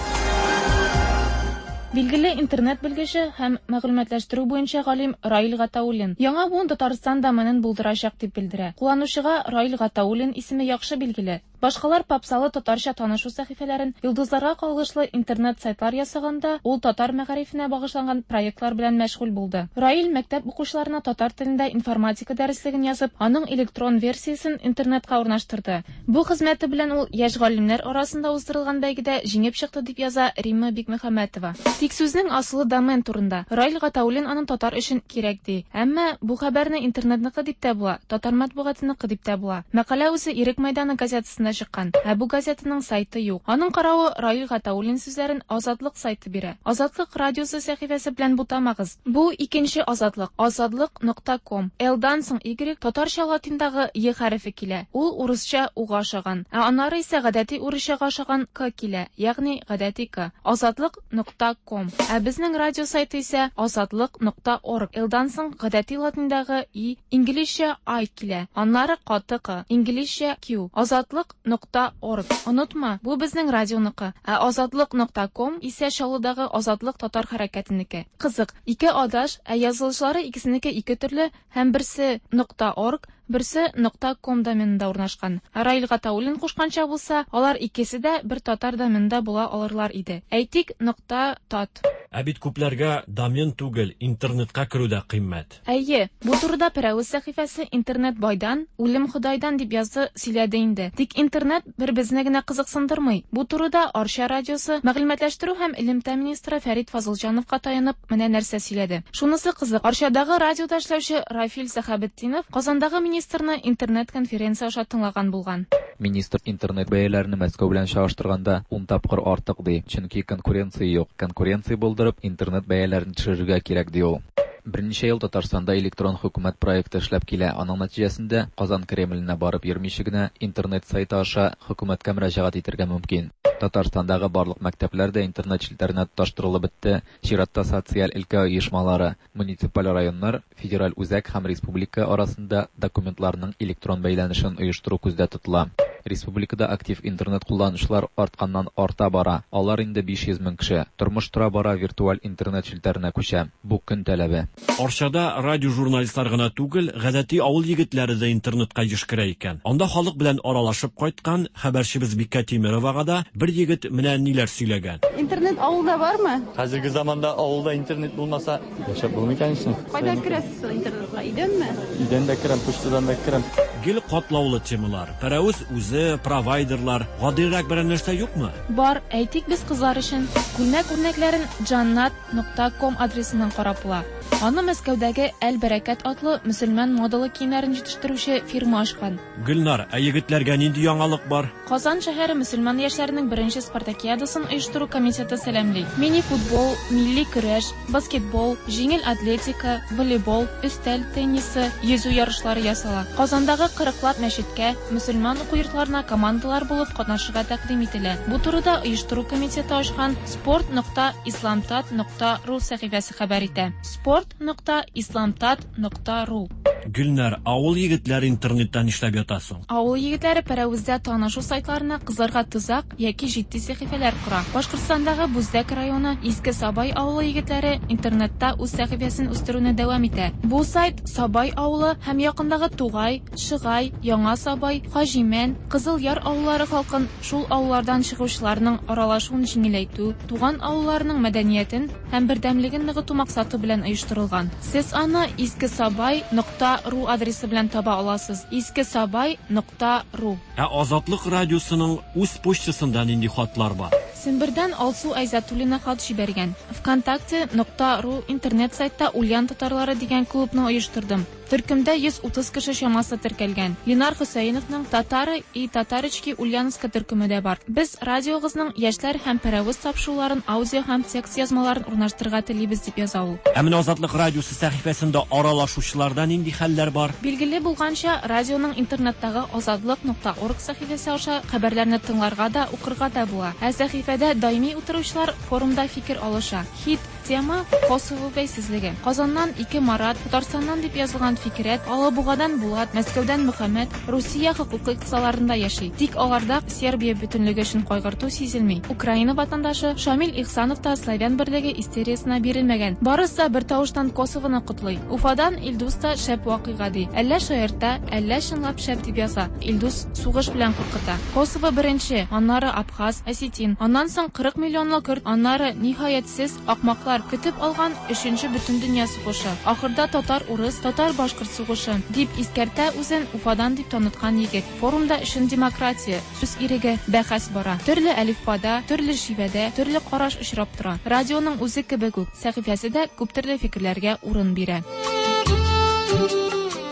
Билгеле интернет белгече һәм мәгълүматлаштыру буенча галим Раил Гатауллин яңа буын Татарстан доменын булдырачак дип белдерә. Кулланучыга Раил Гатауллин исеме яхшы билгеле. Башкалар попсалы татарча танышу сәхифәләрен, йолдызларга кагылышлы интернет сайтлар ясаганда, ул татар мәгарифенә багышланган проектлар белән мәшгуль булды. Раил мәктәп укучыларына татар телендә информатика дәреслеген язып, аның электрон версиясен интернетка урнаштырды. Бу хезмәте белән ул яшь галимнәр арасында уздырылган бәйгедә җиңеп чыкты дип яза Римма Бикмөхәммәтова. Тик сүзнең асылы домен турында. Раил Гатауллин аны татар өчен кирәк ди. Әмма бу хәбәрне интернетныкы дип тә була, татар матбугатыныкы дип тә була. Мәкалә үзе Ирек мәйданы газетасында чыккан. Ә бу газетаның сайты юк. Аның каравы Раил Гатауллин сүзләрен Азатлык сайты бирә. Азатлык радиосы сәхифәсе белән бутамагыз. Бу икенче Азатлык. Азатлык нокта ком. Л-дан соң Y татарча латиндагы Е хәрефе килә. Ул урысча уга ошаган. Ә аннары исә гадәти урысчага ошаган К килә, ягъни гадәти К. Азатлык нокта ком. Ә безнең радио сайты исә азатлык нокта орг. Л-дан соң гадәти латиндагы И, инглизчә I килә. Аннары каты К, инглизчә Q. Азатлык нокта орг. Онытма, бу безнең радионыкы. Ә азатлык нокта ком исә Чаллыдагы Азатлык татар хәрәкәтенеке. Кызык, ике адаш, ә язылышлары икесенеке ике төрле һәм берсе нокта орг, берсе нокта ком доменында урнашкан. Раил Гатауллин кушканча булса, алар икесе дә бер татар доменында була алырлар иде. Әйтик, нокта тат. Ә бит күпләргә домен түгел, интернетка керү дә кыйммәт. Әйе, бу турыда Пәрәвез сәхифәсе интернет байдан, үлем Ходайдан дип язды, сөйләде инде. Тик интернет бер безне генә кызыксындырмый. Бу турыда Арча радиосы мәгълүматлаштыру һәм элемтә министры Фәрит Фазылҗановка таянып менә нәрсә сөйләде. Шунысы кызык, Арчадагы радиода эшләүче Рафил Сәхәбетдинов Казандагы министрны интернет-конференция аша тыңлаган булган. Министр интернет бәяләрен Мәскәү белән чагыштырганда ун тапкыр артык ди, чөнки конкуренция юк. Конкуренция булдырып, интернет бәяләрен төшерергә кирәк ди ул. Берничә ел Татарстанда электрон хөкүмәт проекты эшләп килә. Аның нәтиҗәсендә Казан Кремленә барып йөрмичә генә интернет сайты аша хөкүмәткә мөрәҗәгать итәргә мөмкин. Татарстандагы барлык мәктәпләр дә интернет челтәренә тоташтырылып бетте. Чиратта социаль өлкә оешмалары, муниципаль районнар, федераль үзәк һәм республика арасында документларның электрон бәйләнешен оештыру күздә тотыла. Республикада актив интернет кулланучылар артканнан арта бара. Алар инде биш йөз мең кеше. Тормыш тора бара виртуаль интернет челтәренә күчә. Бу көн таләбе. Арчада радио журналистлар гына түгел, гадәти авыл егетләре дә интернетка еш керә икән. Анда халык белән аралашып кайткан хәбәрчебез Бикә Тимировага да бер егет менә ниләр сөйләгән. Интернет авылда бармы? Хәзерге заманда авылда интернет булмаса, яшәп булмый конечно. Кайда керәсез интернетка? Өйдәнме? Өйдән дә керәм, почтадан да керәм. Гел катлаулы темалар. Пәрәвез үзе, провайдерлар, гадирәк берәр нәрсә юкмы? Бар, әйтик без кызлар өчен. Күлмәк үрнәкләрен джаннат нокта ком адресыннан карап була. Аны Мәскәүдәге Әл-Бәрәкәт атлы мөселман модалы киемнәрен җитештерүче фирма ачкан. Гөлнар, ә егетләргә нинди яңалык бар? Казан шәһәре мөселман яшьләренең беренче спартакиадасын оештыру комитеты сәламли. Мини-футбол, милли көрәш, баскетбол, җиңел атлетика, волейбол, өстәл теннисы, йөзү ярышлары ясала. Казандагы кырыклап мәчеткә, мөселман уку йортларына командалар булып катнашырга тәкъдим ителә. Бу турыда оештыру комитеты ачкан спорт нокта исламтат нокта ру сәхифәсе хәбәр итә. Спорт нокта исламтат нокта ру. Гөлнар, авыл егетләре интернеттан эшләп ятасың. Авыл егетләре Пәрәвездә танышу сайтларына кызларга тузак яки җитди сәхифәләр кора. Башкортстандагы Бүздәк районы Иске Сабай авылы егетләре интернетта үз сәхифәсен үстерүне дәвам итә. Бу сайт Сабай авылы һәм якындагы Тугай, Шыгай, Яңа Сабай, Хаҗимән, Кызыл Яр авыллары халкын шул авыллардан чыгучыларның аралашуын җиңеләйтү, туган авылларының мәдәниятен һәм бердәмлеген ныгыту максаты белән оештырылган. Сез аны искесабай нокта ру адресы белән таба аласыз. искесабай нокта ру. Ә Азатлык радиосының үз почтасында нинди хатлар бар? Сембердән Алсу Айзатуллина хат җибәргән. ВКонтакте нокта ру интернет сайтта Ульян татарлары дигән клубны оештырдым. Төркемдә йөз утыз кеше чамасы теркәлгән. Ленар Хөсәеновның Татары и Татарочки Ульяновска төркеме дә бар. Без радиогызның яшьләр һәм пәрәвез тапшыруларын аудио һәм текст язмаларын урнаштырырга телибез, дип яза ул. Ә менә Азатлык радиосы сәхифәсендә аралашучыларда нинди хәлләр бар? Билгеле булганча, радионың интернеттагы азатлык нокта орг сәхифәсе аша хәбәрләрне тыңларга да, укырга да була. Ә сәхифәдә даими утыручылар форумда фикер алыша. Хит тема Косово бәйсезлеге. Казаннан ике Марат, Татарстаннан дип язылган Фикрәт, Алабугадан Булат, Мәскәүдән Мөхәммәд Русия хокукый кысаларында яши. Тик аларда Сербия бөтенлеге өчен кайгырту сизелми. Украина ватандашы Шамил Ихсанов та славян берлеге истериясына бирелмәгән. Барысы да бер тавыштан Косовоны котлый. Уфадан Илдус та шәп вакыйга ди. Әллә шаярта, әллә чынлап шәп дип яза. Илдус сугыш белән куркыта. Косово беренче, аннары Абхаз, Осетин, аннан соң кырык миллионлы көрд, аннары ниһаятсез акмаклар көтеп алган өченче бөтендөнья сугышы. Ахырда татар-урыс, татар-башкорт сугышы дип искәртә үзен Уфадан дип таныткан егет. Форумда өчен демократия, сүз иреге, бәхәс бара. Төрле әлифбада, төрле шивәдә, төрле караш очрап тора. Радионың үзе кебек үк, сәхифәсе дә күп төрле фикерләргә урын бирә.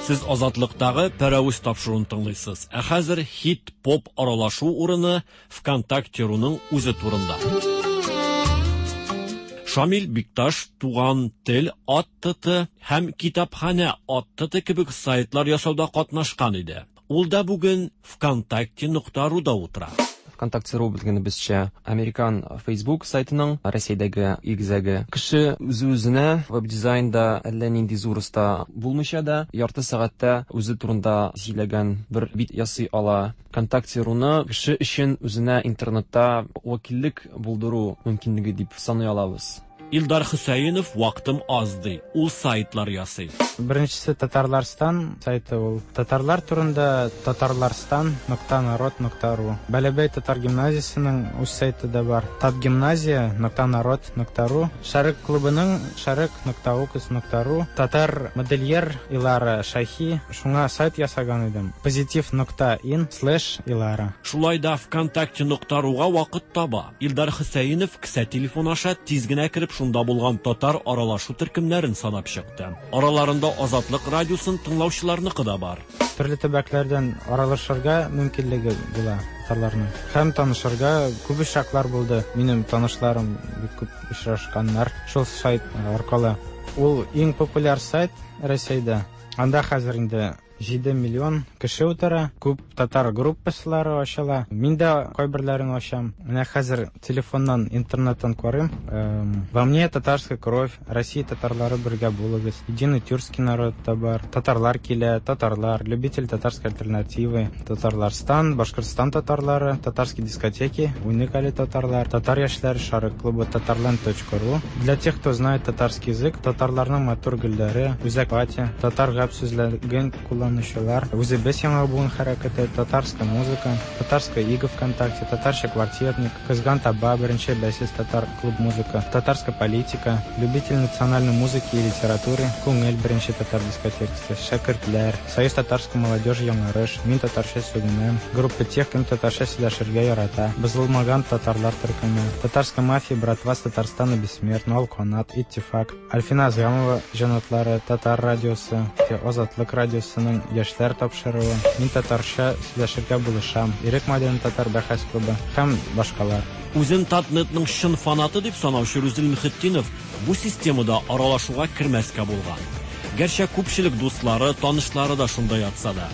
Сез Азатлыктагы Пәрәвез тапшыруын тыңлыйсыз. Ә хәзер хит-поп аралашу урыны ВКонтакте.руның үзе турында. Шамил Бикташ Туган тел ат Т Т һәм Китапханә ат Т Т кебек сайтлар ясауда катнашкан иде. Ул да бүген ВКонтакте нокта руда утыра. ВКонтакте.ру белгәнебезчә, американ Facebook сайтының Россиядәге игезәге. Кеше үзе-үзенә веб-дизайнда әллә нинди зур оста булмыйча да, ярты сәгатьтә үзе турында сөйләгән бер бит ясый ала. ВКонтакте.руны кеше өчен үзенә интернетта вәкиллек булдыру мөмкинлеге дип саный алабыз. Илдар Хөсәенов вакытым аз ди. Ул сайтлар ясый. Беренчесе Татарларстан сайты ул. Татарлар турында татарларстан нокта народ нокта ру. Бәләбәй татар гимназиясенең үз сайты да бар. Татгимназия нокта народ нокта ру. Шәрык клубының шәрык нокта укс нокта ру. Татар модельер Илара Шахи. Шуңа сайт ясаган идем. Позитив нокта ин слэш Илара. Шулай да ВКонтакте нокта руга вакыт таба. Илдар Хөсәенов кесә телефон аша тиз генә кереп шунда булган татар аралашу төркемнәрен санап чыкты. Араларында Азатлык радиосын тыңлаучыларныкы да бар. Төрле төбәкләрдән аралашырга мөмкинлеге була татарларның. Һәм танышырга күп очраклар булды. Минем танышларым бик күп очрашканнар шул сайт аркылы. Ул иң популяр сайт Россиядә. Анда хәзер инде җиде миллион кеше утыра, күп татар группалары ачыла. Мин дә кайберләрен ачам. Менә хәзер телефоннан, интернеттан карыйм. Эм, Во мне татарская кровь, Россия татарлары бергә булыгыз. Единый тюркский народ та бар. Татарлар килә, татарлар, любитель татарской альтернативы, Татарларстан, Башкортстан татарлары, татарские дискотеки, уникали татарлар, татар яшьләре Шәрык клубы, татарланд точка ру. Для тех, кто знает татарский язык, татарларның матур гөлләре, Үзәк пати, татар гәп сүзлеген кулланучылар, Үзебез яңа буын хәрәкәте, татарская музыка, татарская ига ВКонтакте, татарча квартирник, Кызган таба, беренче бәйсез татар клуб музыка, татарская политика, любитель национальной музыки и литературы, Күңел беренче татар дискотекасы, Шәкертләр, Союз татарской молодежи Яңарыш, Мин татарча сүгенәм, группа тех, кем татарча сөйләшергә ярата, Бозылмаган татарлар төркеме, татарская мафия, братва с Татарстана бессмертна, Алканат, Иттифак, Альфина Азгамова җанатлары, Татар радиосы, Азатлык радиосының яшьләр тапшыруы, Мин татарча сөйләшергә булышам, Ирек Мадин татар бәхәс клубы һәм башкалар. Үзен Татнетның чын фанаты дип санаучы Рүзил Мөхетдинов бу системада аралашуга кермәскә булган. Гәрчә күпчелек дуслары, танышлары да шунда ятса да.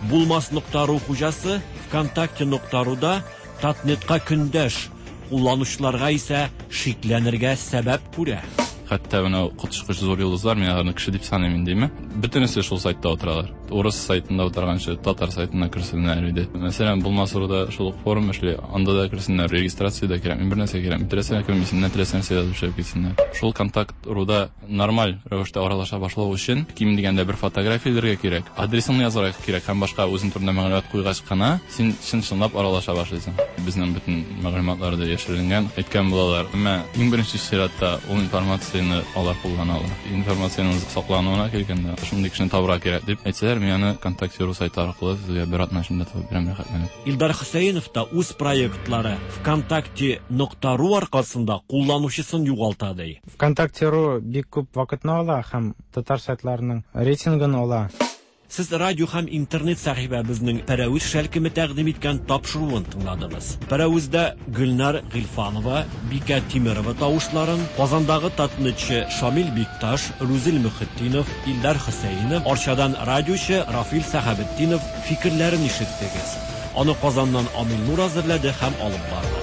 Булмас нокта ру хуҗасы ВКонтакте нокта руда Татнетка көндәш, кулланучыларга исә шикләнергә сәбәп күрә. Хәтта менә коточкыч зур йолдызлар, мин аларны кеше дип саныйм инде, бөтенесе шул сайтта утыралар. Урыс сайтында утырганчы татар сайтына керсеннәр иде. Мәсәлән, Булмас руда шул ук форум эшли, анда да керсеннәр, регистрация дә кирәкми, бер нәрсә кирәкми. Теләсә кем исеменә теләсә нәрсә язып эшләп китсеннәр. Шул контакт руда нормаль рәвештә аралаша башлау өчен ким дигәндә бер фотография элергә кирәк, адресыңны язарга кирәк һәм башка үзең турында мәгълүмат куйгач кына син чын-чынлап аралаша башлыйсың. Безнең бөтен мәгълүматлар да яшеренгән, әйткән булалар. Әмма иң беренче чиратта ул информацияне алар куллана ала. Информациянең саклануына килгәндә, шундый кешене табырга кирәк дип әйтсәләр, мин аны ВКонтакте ру сайты аркылы сезгә бер атна эчендә табып бирәм рәхәтләнеп. Илдар Хөсәенов та үз проектлары ВКонтакте нокта ру аркасында кулланучысын югалта ди. ВКонтакте ру бик күп вакытны ала һәм татар сайтларының рейтингын ала. Сез радио һәм интернет сәхифәбезнең Пәрәвез шәлкеме тәкъдим иткән тапшыруын тыңладыгыз. Пәрәвездә Гөлнар Гыйльфанова, Бикә Тимерова тавышларын, Казандагы татнетчы Шамил Бикташ, Рузил Мөхетдинов, Илдар Хөсәенов, Арчадан радиочы Рафил Сәхәбетдинов фикерләрен ишеттегез. Аны Казаннан Амил Нур әзерләде һәм алып барды.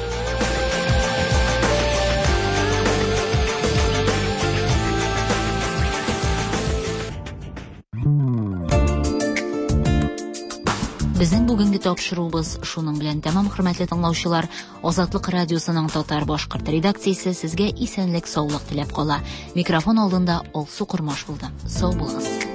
Безнең бүгенге тапшыруыбыз шуның белән тәмам, хөрмәтле тыңлаучылар. Азатлык радиосының татар башкорт редакциясе сезгә исәнлек, саулык теләп кала. Микрофон алдында Алсу Кормаш булды. Сау булыгыз.